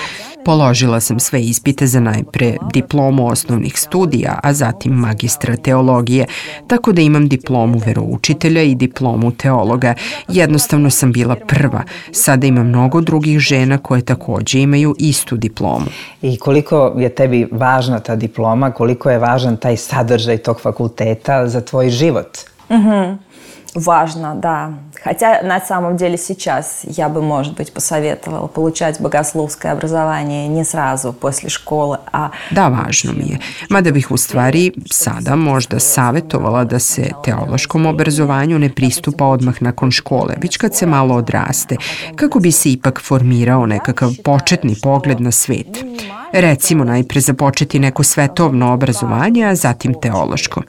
Položila sam sve ispite za najpre diplomu osnovnih studija, a zatim magistra teologije, tako da imam diplomu veroučitelja i diplomu teologa. Jednostavno sam bila prva. Sada ima mnogo drugih žena koje takođe imaju istu diplomu. I koliko je tebi važna ta diploma, koliko je važan taj sadržaj tog fakulteta za tvoj život? Угу. Важно, да. Хотя на самом деле сейчас я бы, может быть, посоветовала получать богословское образование не сразу после škole, a... Da, važno mi je. Mada bih u stvari sada možda savjetovala da se teološkom obrazovanju ne pristupa odmah nakon škole, već kad se malo odraste, kako bi se ipak formirao nekakav početni pogled na svet. Recimo najpre započeti neko svetovno obrazovanje, a zatim teološko.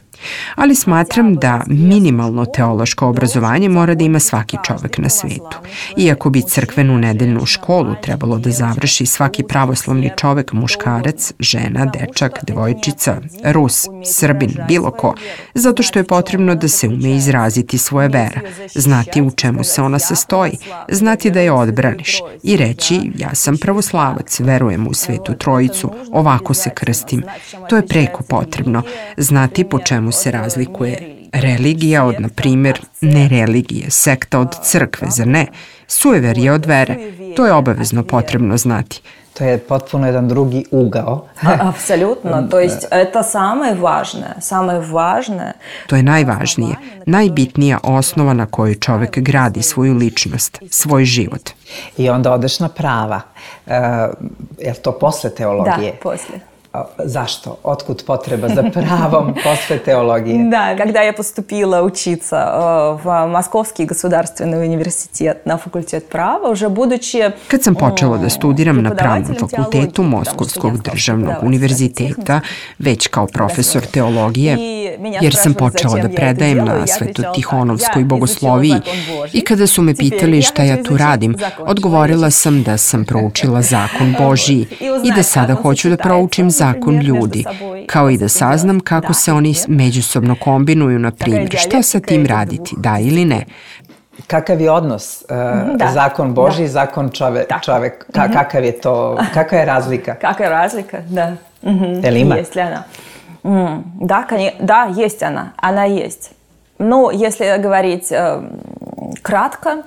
Ali smatram da minimalno teološko obrazovanje mora da ima svaki čovek na svetu. Iako bi crkvenu nedeljnu školu trebalo da završi svaki pravoslavni čovek, muškarac, žena, dečak, devojčica, Rus, Srbin, bilo ko, zato što je potrebno da se ume izraziti svoje vera, znati u čemu se ona sastoji, znati da je odbraniš i reći ja sam pravoslavac, verujem u Svetu Trojicu, ovako se krstim. To je preko potrebno, znati po čemu se razlikuje religija od, na primjer, nereligije, sekta od crkve, zar ne? Sujeverje od vere. To je obavezno potrebno znati. To je potpuno jedan drugi ugao. Apsolutno. To jest, это самое важное. Самое важное. To je najvažnije, najbitnija osnova na kojoj čovek gradi svoju ličnost, svoj život. I onda odeš na prava. Uh, je li to posle teologije? Da, posle. Zašto? Otkud potreba za pravom posle teologije? Да, когда я поступила учиться в Московский государственный университет на факультет права, уже будучи... Kad sam počela da studiram na Pravnom fakultetu Moskovskog državnog univerziteta, već kao profesor teologije, jer sam počela da predajem na Svetotihonovskoj bogosloviji i kada su me pitali šta ja tu radim, odgovorila sam da sam proučila zakon Božiji i da sada hoću da proučim zakon ljudi, kao i da saznam kako se oni međusobno kombinuju, na primjer, šta sa tim raditi, da ili ne. Kakav je odnos uh, da, zakon Božji i zakon čove, čovek? Ka, kakav je to, kakva je razlika? Kakva je razlika, da. Je li ima? Есть ли она? Да, конечно, да, есть она, она есть. Но если говорить э, кратко,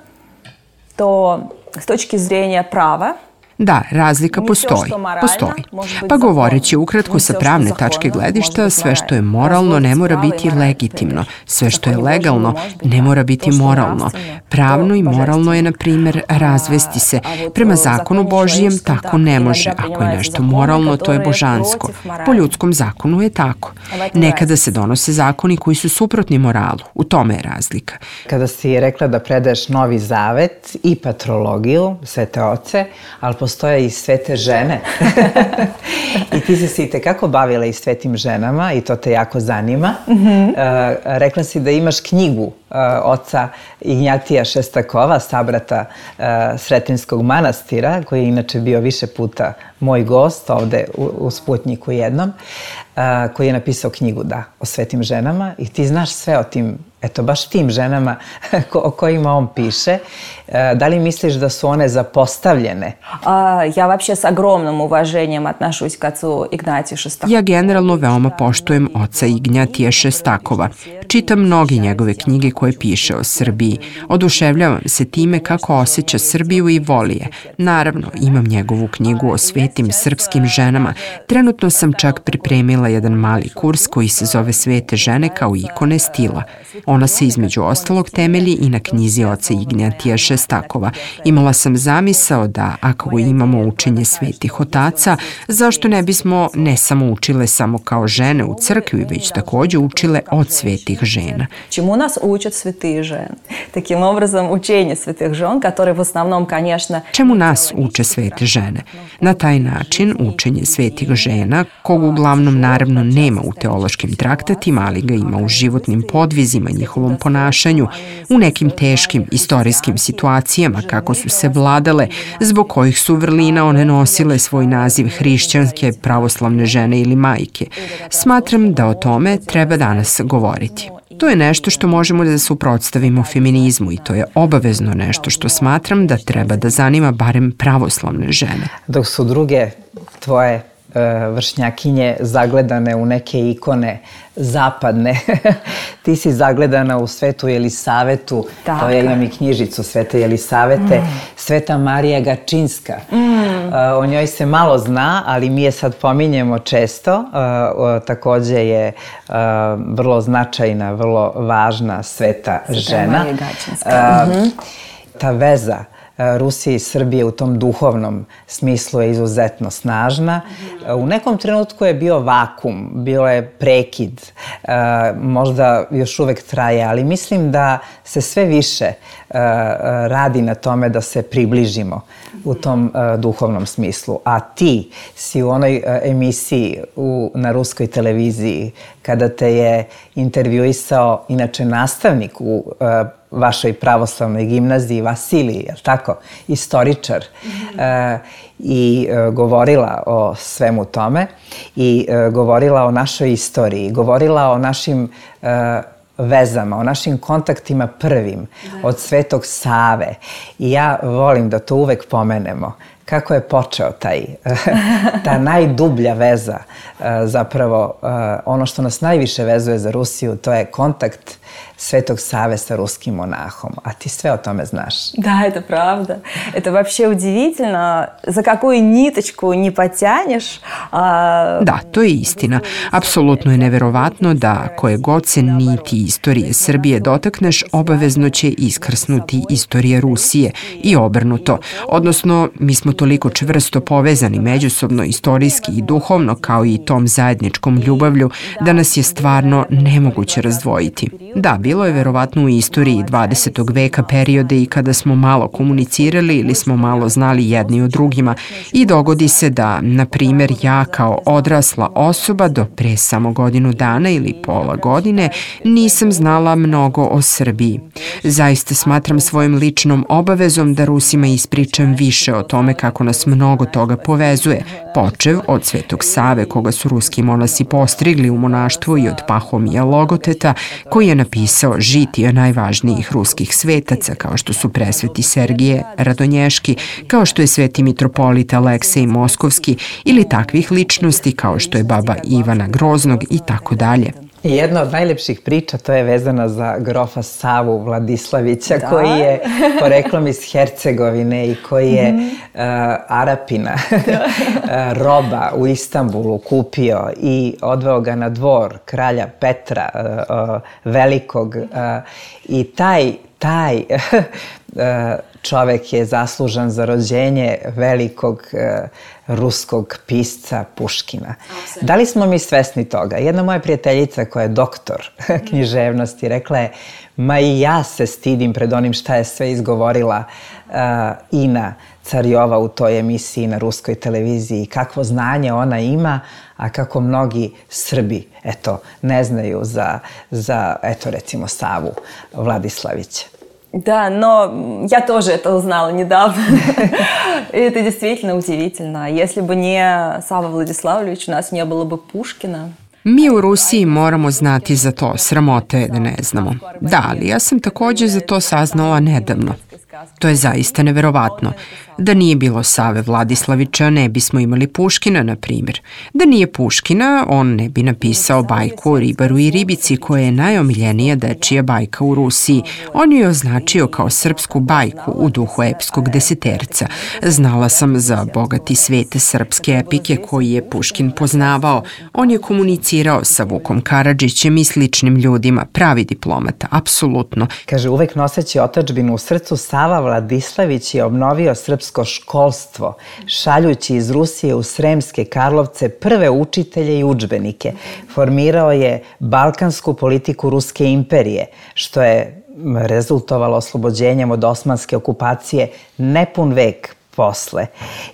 то с точки зрения права, Da, razlika postoji, postoji. Pa govoreći ukratko sa pravne tačke gledišta, sve što je moralno ne mora biti legitimno, sve što je legalno ne mora biti moralno. Pravno i moralno je, na primjer, razvesti se. Prema zakonu Božijem tako ne može. Ako je nešto moralno, to je božansko. Po ljudskom zakonu je tako. Nekada se donose zakoni koji su suprotni moralu. U tome je razlika. Kada si rekla da predaješ Novi Zavet i patrologiju, Svete Oce, ali postoje i svete žene. I ti si se i tekako bavila i svetim ženama i to te jako zanima. Mm-hmm. Uh, rekla si da imaš knjigu uh, oca Ignjatija Šestakova, sabrata uh, Sretenskog manastira, koji je inače bio više puta moj gost ovde u, u Sputnjiku jednom, uh, koji je napisao knjigu, da, o svetim ženama i ti znaš sve o tim, eto, baš tim ženama ko, o kojima on piše. Uh, da li misliš da su one zapostavljene? Uh, ja вообще с огромным уважением отношусь к отцу Игнатию Шестакову. Ja generalno veoma poštujem oca Ignjatija Šestakova. Čitam mnoge njegove knjige koje piše o Srbiji. Oduševljavam se time kako osjeća Srbiju i voli je. Naravno, imam njegovu knjigu o svetim srpskim ženama. Trenutno sam čak pripremila jedan mali kurs koji se zove Svete žene kao ikone stila. Ona se između ostalog temelji i na knjizi oca Ignjatija Šestakova. Imala sam zamisao da ako imamo učenje svetih otaca, zašto ne bismo ne samo učile samo kao žene u crkvi, već takođe učile od svetih žena. Čemu nas učat svetih žena? Takim obrazom učenje svetih žena, koje v osnovnom, конечно... Čemu nas uče svete žene? Na taj način učenje svetih žena, kog uglavnom naravno nema u teološkim traktatima, ali ga ima u životnim podvizima njihovom ponašanju, u nekim teškim istorijskim situacijama kako su se vladale, zbog kojih su vrlina one nosile svoj naziv hrišćanske, pravoslavne žene ili majke. Smatram da o tome treba danas govoriti. To je nešto što možemo da suprotstavimo feminizmu i to je obavezno nešto što smatram da treba da zanima barem pravoslavne žene. Dok su druge tvoje vršnjakinje zagledane u neke ikone zapadne. Ti si zagledana u Svetu Jelisavetu, Tako. to ja imam i knjižicu Svete Jelisavete, mm. Sveta Marija Gačinska. Mm. O njoj se malo zna, ali mi je sad pominjemo često. Takođe je vrlo značajna, vrlo važna sveta Sveta žena. Marija Gačinska. Mm-hmm. Ta veza Rusije i Srbije u tom duhovnom smislu je izuzetno snažna. U nekom trenutku je bio vakum, bio je prekid, možda još uvek traje, ali mislim da se sve više radi na tome da se približimo u tom duhovnom smislu. A ti si u onoj emisiji u, na ruskoj televiziji, kada te je intervjuisao inače nastavnik u vašoj pravoslavnoj gimnaziji, Vasilij, je li tako, istoričar, mm-hmm. e, i e, govorila o svemu tome i e, govorila o našoj istoriji, govorila o našim e, vezama, o našim kontaktima prvim da. Od Svetog Save. I ja volim da to uvek pomenemo. Kako je počeo taj, ta najdublja veza, zapravo ono što nas najviše vezuje za Rusiju, to je kontakt Svetog Саве sa ruskim monahom. A ti sve o tome знаешь. Да, это правда. Это вообще удивительно. За какую ниточку не потянешь. А... Da, to je istina. Apsolutno je neverovatno da koje god se niti istorije Srbije dotakneš, obavezno će iskrsnuti istorije Rusije i obrnuto. Odnosno, mi smo toliko čvrsto povezani međusobno, istorijski i duhovno, kao i tom zajedničkom ljubavlju, da nas je stvarno nemoguće razdvojiti. Da, bilo je verovatno u istoriji dvadesetog veka periode i kada smo malo komunicirali ili smo malo znali jedni o drugima i dogodi se da, na primjer, ja kao odrasla osoba do pre samo godinu dana ili pola godine nisam znala mnogo o Srbiji. Zaista smatram svojim ličnom obavezom da Rusima ispričam više o tome kako nas mnogo toga povezuje, počev od Svetog Save koga su ruski monasi postrigli u monaštvu i od Pahomija Logoteta koji je napisao žitije najvažnijih ruskih svetaca kao što su presveti Sergije Radonješki, kao što je sveti mitropolit Aleksej Moskovski ili takvih ličnosti kao što je baba Ivana Groznog i tako dalje. I jedna od najlepših priča to je vezana za grofa Savu Vladislavića da. Koji je poreklom iz Hercegovine i koji je mm-hmm. uh, Arapina uh, roba u Istanbulu kupio i odveo ga na dvor kralja Petra uh, uh, Velikog uh, i taj, taj uh, čovek je zaslužan za rođenje velikog uh, ruskog pisca Puškina. Da li smo mi svesni toga? Jedna moja prijateljica koja je doktor književnosti rekla je, ma i ja se stidim pred onim šta je sve izgovorila uh, Ina Carjova u toj emisiji na ruskoj televiziji, kakvo znanje ona ima, a kako mnogi Srbi, eto, ne znaju za, za eto, recimo, Savu Vladislavića. Да, но я тоже это узнала недавно. Это действительно удивительно. Если бы не Сава Владиславович, у нас не было бы Пушкина. Mi u Rusiji moramo znati za to, sramote je da ne znamo. Da, ali ja sam takođe za to saznala nedavno. To je zaista neverovatno. Da nije bilo Save Vladislavića, ne bismo imali Puškina, na primjer. Da nije Puškina, on ne bi napisao bajku o ribaru i ribici, koja je najomiljenija dečija bajka u Rusiji. On ju je označio kao srpsku bajku u duhu epskog deseterca. Znala sam za bogati svet srpske epike koji je Puškin poznavao. On je komunicirao sa Vukom Karadžićem i sličnim ljudima, pravi diplomata, apsolutno. Kaže, uvek noseći otadžbinu u srcu, Sava Vladislavić je obnovio srpsko školstvo, šaljući iz Rusije u Sremske Karlovce prve učitelje i udžbenike. Formirao je balkansku politiku Ruske imperije, što je rezultovalo oslobođenjem od osmanske okupacije nepun vek posle.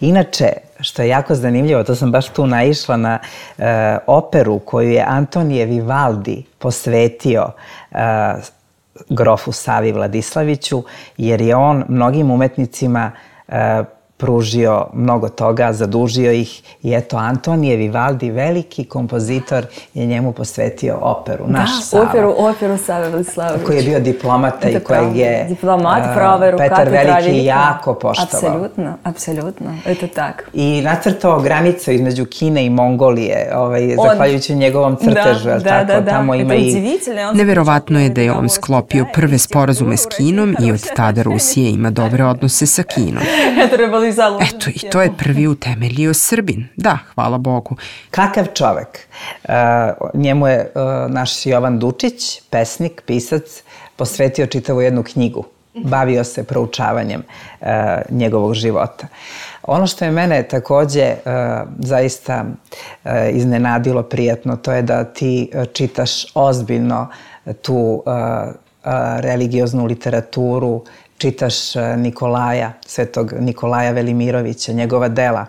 Inače, što je jako zanimljivo, to sam baš tu naišla na e, operu koju je Antonije Vivaldi posvetio e, grofu Savi Vladislaviću, jer je on mnogim umetnicima pružio mnogo toga, zadužio ih i eto Antonije Vivaldi, veliki kompozitor, je njemu posvetio operu, naš da, Sava. operu, operu Save Vladislavić. Koji je bio diplomata i kojeg je Diplomat, praveru, Petar Veliki jako poštovao. Apsolutno, apsolutno, eto tako. I nacrtao granicu između Kine i Mongolije, ovaj, zahvaljujući njegovom crtežu, da, tako, da, da, tamo ima i... Neverovatno je da je on sklopio prve sporazume s Kinom i od tada Rusija ima dobre odnose sa Kinom. Eto, i to je prvi utemeljio Srbin. Da, hvala Bogu. Kakav čovek? Uh, njemu je uh, naš Jovan Dučić, pesnik, pisac, posvetio čitavu jednu knjigu. Bavio se proučavanjem uh, njegovog života. Ono što je mene takođe uh, zaista uh, iznenadilo prijatno, to je da ti uh, čitaš ozbiljno tu uh, uh, religioznu literaturu, čitaš Nikolaja, svetog Nikolaja Velimirovića, njegova dela.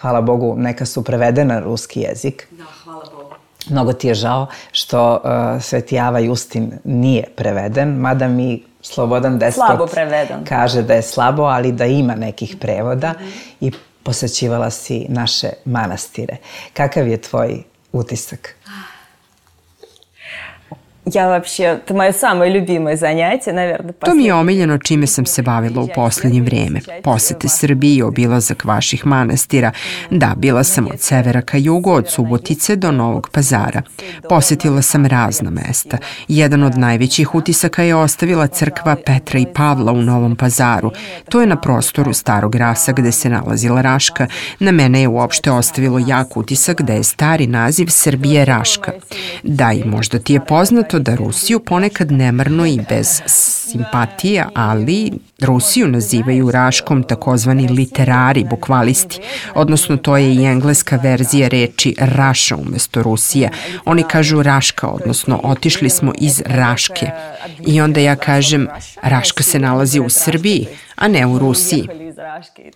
Hvala Bogu, neka su prevedena na ruski jezik. Da, hvala Bogu. Mnogo ti je žao što uh, Sveti Java Justin nije preveden, mada mi Slobodan Despot kaže da je slabo, ali da ima nekih prevoda mm-hmm. i posećivala si naše manastire. Kakav je tvoj utisak? Ja вообще, to moje самое любимое занятие, наверное. To mi je omiljeno čime sam se bavila u posljednje vrijeme. Posete Srbiji i obilazak vaših manastira. Da, bila sam od severa ka jugu, od Subotice do Novog Pazara. Posetila sam razna mesta. Jedan od najvećih utisaka je ostavila crkva Petra i Pavla u Novom Pazaru. To je na prostoru Starog Rasa gde se nalazila Raška. Na mene je uopšte ostavilo jak utisak da je stari naziv Srbije Raška. Da, i možda ti je poznato da Rusiju ponekad nemarno i bez simpatija, ali Rusiju nazivaju Raškom takozvani literari, bukvalisti, odnosno to je i engleska verzija reči Raša umesto Rusija. Oni kažu Raška, odnosno otišli smo iz Raške. I onda ja kažem, Raška se nalazi u Srbiji, a ne u Rusiji.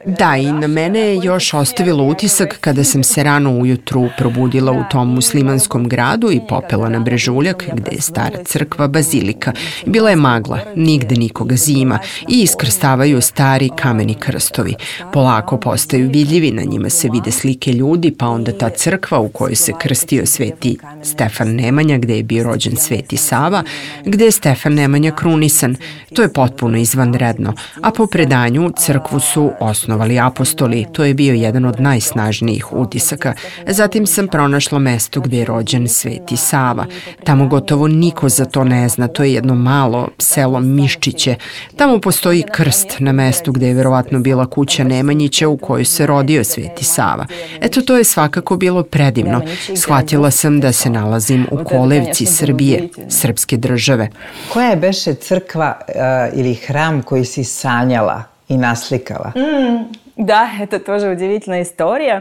Da, i na mene je još ostavilo utisak kada sam se rano ujutru probudila u tom muslimanskom gradu i popela na brežuljak gde je stara crkva bazilika. Bila je magla, nigde nikoga zima i iskrstavaju stari kameni krstovi. Polako postaju vidljivi, na njima se vide slike ljudi, pa onda ta crkva u kojoj se krstio sveti Stefan Nemanja, gde je bio rođen sveti Sava, gde je Stefan Nemanja krunisan. To je potpuno izvanredno, a po predanju crkvu su osnovali apostoli. To je bio jedan od najsnažnijih utisaka. Zatim sam pronašla mesto gde je rođen sveti Sava. Tamo gotovo niko za to ne zna. To je jedno malo selo Miščiće. Tamo postoji krst na mestu gde je verovatno bila kuća Nemanjića u kojoj se rodio sveti Sava. Eto, to je svakako bilo predivno. Shvatila sam da se nalazim u kolevci Srbije, srpske države. Koja je beše crkva uh, ili hram koji si sanjala i naslikala? Mm, da, это тоже удивительная история.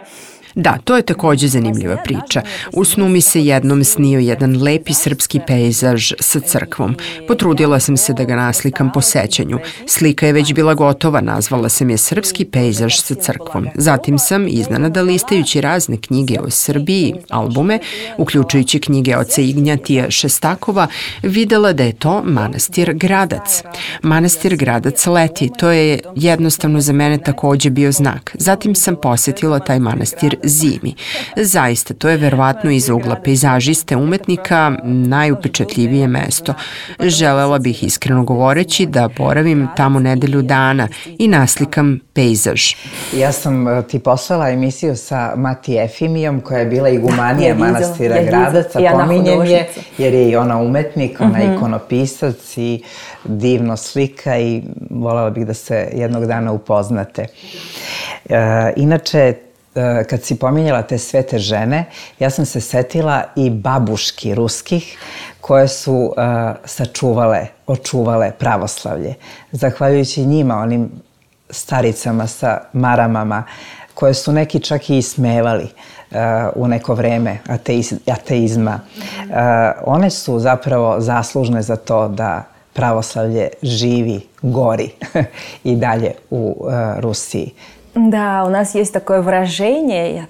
Da, to je takođe zanimljiva priča. U snu mi se jednom snio jedan lepi srpski pejzaž sa crkvom. Potrudila sam se da ga naslikam po sećanju. Slika je već bila gotova, nazvala sam je Srpski pejzaž sa crkvom. Zatim sam, iznenada listajući razne knjige o Srbiji, albume, uključujući knjige oca Ignjatija Šestakova, videla da je to manastir Gradac. Manastir Gradac leti, to je jednostavno za mene takođe bio znak. Zatim sam posetila taj manastir zimi. Zaista, to je verovatno iz ugla pejzažiste umetnika najupečatljivije mesto. Želela bih iskreno govoreći da boravim tamo nedelju dana i naslikam pejzaž. Ja sam ti poslala emisiju sa Mati Efimijom koja je bila igumanija manastira Gradac, a pominjem je jer je i ona umetnik, ona je ikonopisac i divno slika i voljela bih da se jednog dana upoznate. Inače, kad si pominjala te svete žene, ja sam se setila i babuški ruskih koje su uh, sačuvale, očuvale pravoslavlje. Zahvaljujući njima, onim staricama sa maramama, koje su neki čak i ismevali uh, u neko vreme ateiz, ateizma. Uh, one su zapravo zaslužne za to da pravoslavlje živi, gori i dalje u uh, Rusiji. Да, у нас есть такое выражение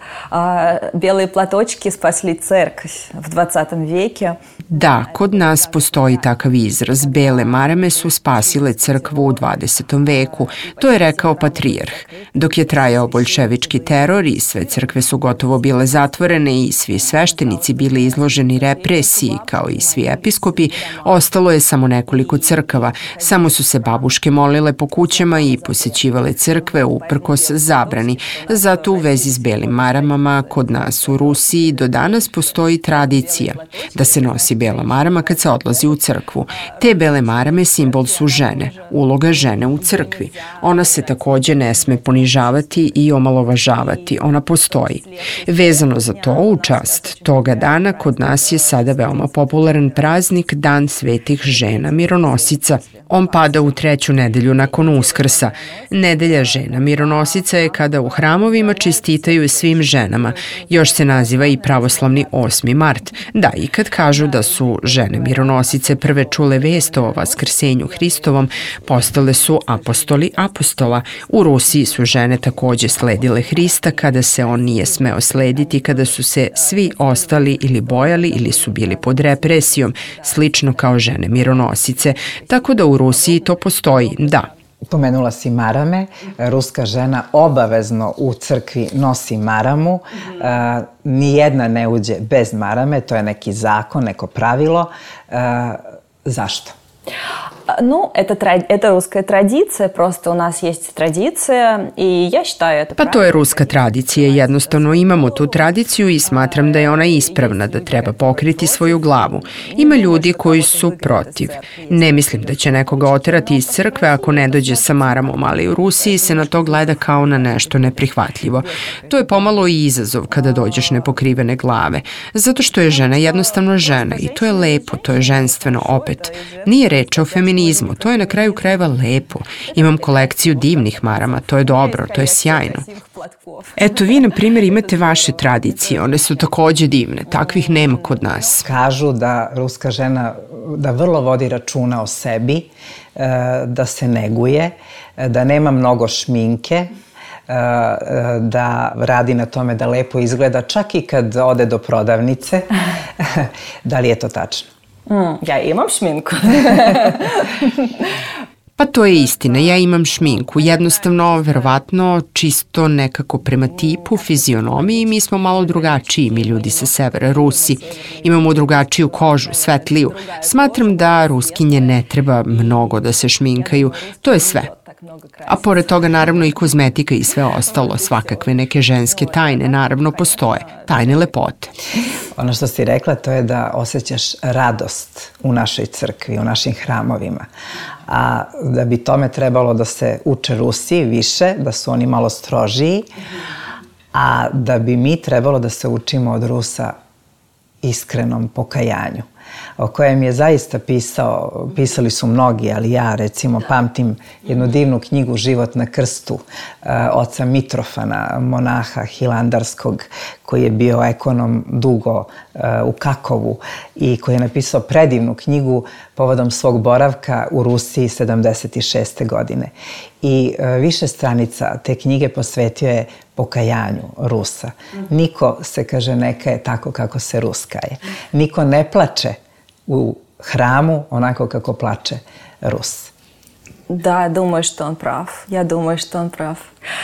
«белые платочки спасли церковь» в dvadesetom веке. Da, kod nas postoji takav izraz. Bele marame su spasile crkvu u dvadesetom veku. To je rekao patrijarh. Dok je trajao boljševički teror i sve crkve su gotovo bile zatvorene i svi sveštenici bili izloženi represiji kao i svi episkopi, ostalo je samo nekoliko crkava. Samo su se babuške molile po kućama i posećivale crkve uprkos zabrani. Zato u vezi s belim maramama kod nas u Rusiji do danas postoji tradicija da se nosi bela marama kad se odlazi u crkvu. Te bele marame simbol su žene, uloga žene u crkvi. Ona se takođe ne sme ponižavati i omalovažavati, ona postoji. Vezano za to, u čast toga dana kod nas je sada veoma popularan praznik Dan svetih žena mironosica. On pada u treću nedelju nakon Uskrsa. Nedelja žena mironosica je kada u hramovima čestitaju svim ženama. Još se naziva i pravoslavni osmi mart. Da, i kad kažu da su žene mironosice prve čule vest o vaskrsenju Hristovom, postale su apostoli apostola. U Rusiji su žene takođe sledile Hrista kada se on nije smeo slediti, kada su se svi ostali ili bojali ili su bili pod represijom, slično kao žene mironosice. Tako da u Rusiji to postoji, da. Pomenula si marame, ruska žena obavezno u crkvi nosi maramu, uh, nijedna ne uđe bez marame, to je neki zakon, neko pravilo. Uh, zašto? Ну, это, это русская традиция, просто у нас есть традиция, и я считаю это Pa to je ruska tradicija, jednostavno imamo tu tradiciju i smatram da je ona ispravna, da treba pokriti svoju glavu. Ima ljudi koji su protiv. Ne mislim da će nekoga oterati iz crkve ako ne dođe sa maramom, ali u Rusiji se na to gleda kao na nešto neprihvatljivo. To je pomalo i izazov kada dođeš nepokrivene glave, zato što je žena jednostavno žena i to je lepo, to je ženstveno opet. Nije reč o feminizmu. To je na kraju krajeva lepo. Imam kolekciju divnih marama, to je dobro, to je sjajno. Eto, vi, na primjer, imate vaše tradicije, one su takođe divne, takvih nema kod nas. Kažu da ruska žena da vrlo vodi računa o sebi, da se neguje, da nema mnogo šminke, da radi na tome da lepo izgleda, čak i kad ode do prodavnice. Da li je to tačno? Mm, ja imam šminku. Pa to je istina, ja imam šminku, jednostavno, verovatno, čisto nekako prema tipu, fizionomiji, mi smo malo drugačiji, mi ljudi sa severa, Rusi. Imamo drugačiju kožu, svetliju. Smatram da Ruskinje ne treba mnogo da se šminkaju, to je sve. A pored toga naravno i kozmetika i sve ostalo, svakakve neke ženske tajne naravno postoje, tajne lepote. Ono što si rekla to je da osjećaš radost u našoj crkvi, u našim hramovima. A da bi tome trebalo da se uče Rusi više, da su oni malo strožiji, a da bi mi trebalo da se učimo od Rusa iskrenom pokajanju, o kojem je zaista pisao, pisali su mnogi, ali ja recimo pamtim jednu divnu knjigu Život na krstu oca Mitrofana, monaha hilandarskog, koji je bio ekonom dugo u Kakovu i koji je napisao predivnu knjigu povodom svog boravka u Rusiji sedamdeset šeste godine. I više stranica te knjige posvetio je pokajanju Rusa. Niko se, kaže, ne kaje tako kako se Rus kaje. Niko ne plače u hramu onako kako plače Rus. Да, думаю, что он прав. Я думаю, что он прав.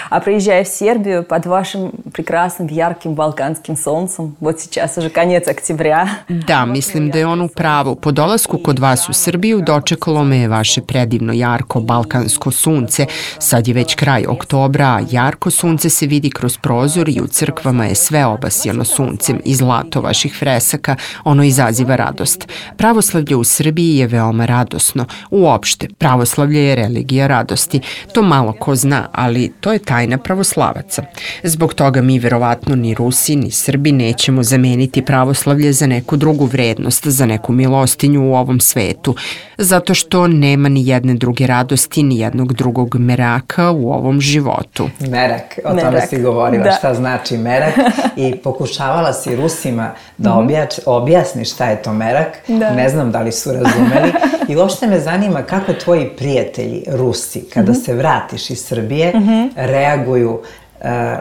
А приезжая в Сербию под вашим прекрасным, ярким балканским солнцем, вот сейчас уже конец октября. Da, mislim da je on u pravu. Po dolasku kod vas u Srbiju dočekalo me je vaše predivno jarko balkansko sunce. Sad je već kraj oktobra, a jarko sunce se vidi kroz prozor i u crkvama je sve obasjano suncem i zlato vaših fresaka. Ono izaziva radost. Pravoslavlje u Srbiji je veoma radosno. Uopšte, pravoslavlje je religija radosti. To malo ko zna, ali to je tajna pravoslavaca. Zbog toga mi verovatno ni Rusi ni Srbi nećemo zameniti pravoslavlje za neku drugu vrednost, za neku milostinju u ovom svetu, zato što nema ni jedne druge radosti, ni jednog drugog meraka u ovom životu. Merak, o tome si govorila, da. Šta znači merak i pokušavala si Rusima da objač, objasniš šta je to merak, da. Ne znam da li su razumeli i uopšte me zanima kako tvoji prijatelji Rusi, kada mm-hmm. se vratiš iz Srbije, mm-hmm. reaguju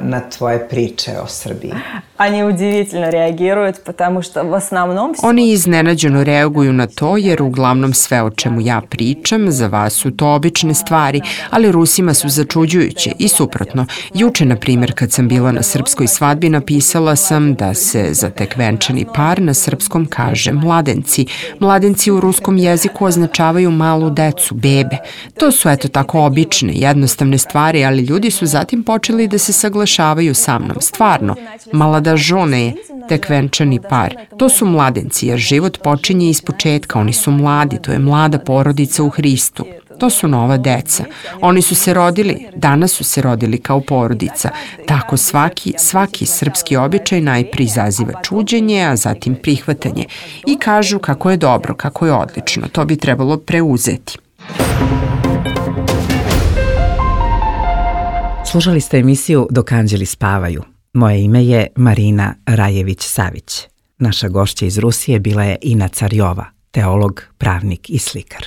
на твоje priče o Srbiji. Они удивительно реагируют, потому что в основном... Oni iznenađeno reaguju na to jer uglavnom sve o čemu ja pričam za vas su to obične stvari, ali Rusima su začuđujuće i suprotno. Juče, na primjer, kad sam bila na srpskoj svadbi, napisala sam da se za tek venčani par na srpskom kaže mladenci. Mladenci u ruskom jeziku označavaju malu decu, bebe. To su eto tako obične, jednostavne stvari, ali ljudi su zatim počeli da se saglašavaju sa mnom. Stvarno, malada žone je tek venčani par. To su mladenci, jer život počinje iz početka. Oni su mladi, to je mlada porodica u Hristu. To su nova deca. Oni su se rodili, danas su se rodili kao porodica. Tako svaki, svaki srpski običaj najprije izaziva čuđenje, a zatim prihvatanje. I kažu kako je dobro, kako je odlično. To bi trebalo preuzeti. Slušali ste emisiju Dok anđeli spavaju. Moje ime je Marina Rajević-Savić. Naša gošća iz Rusije bila je Ina Carjova, teolog, pravnik i slikar.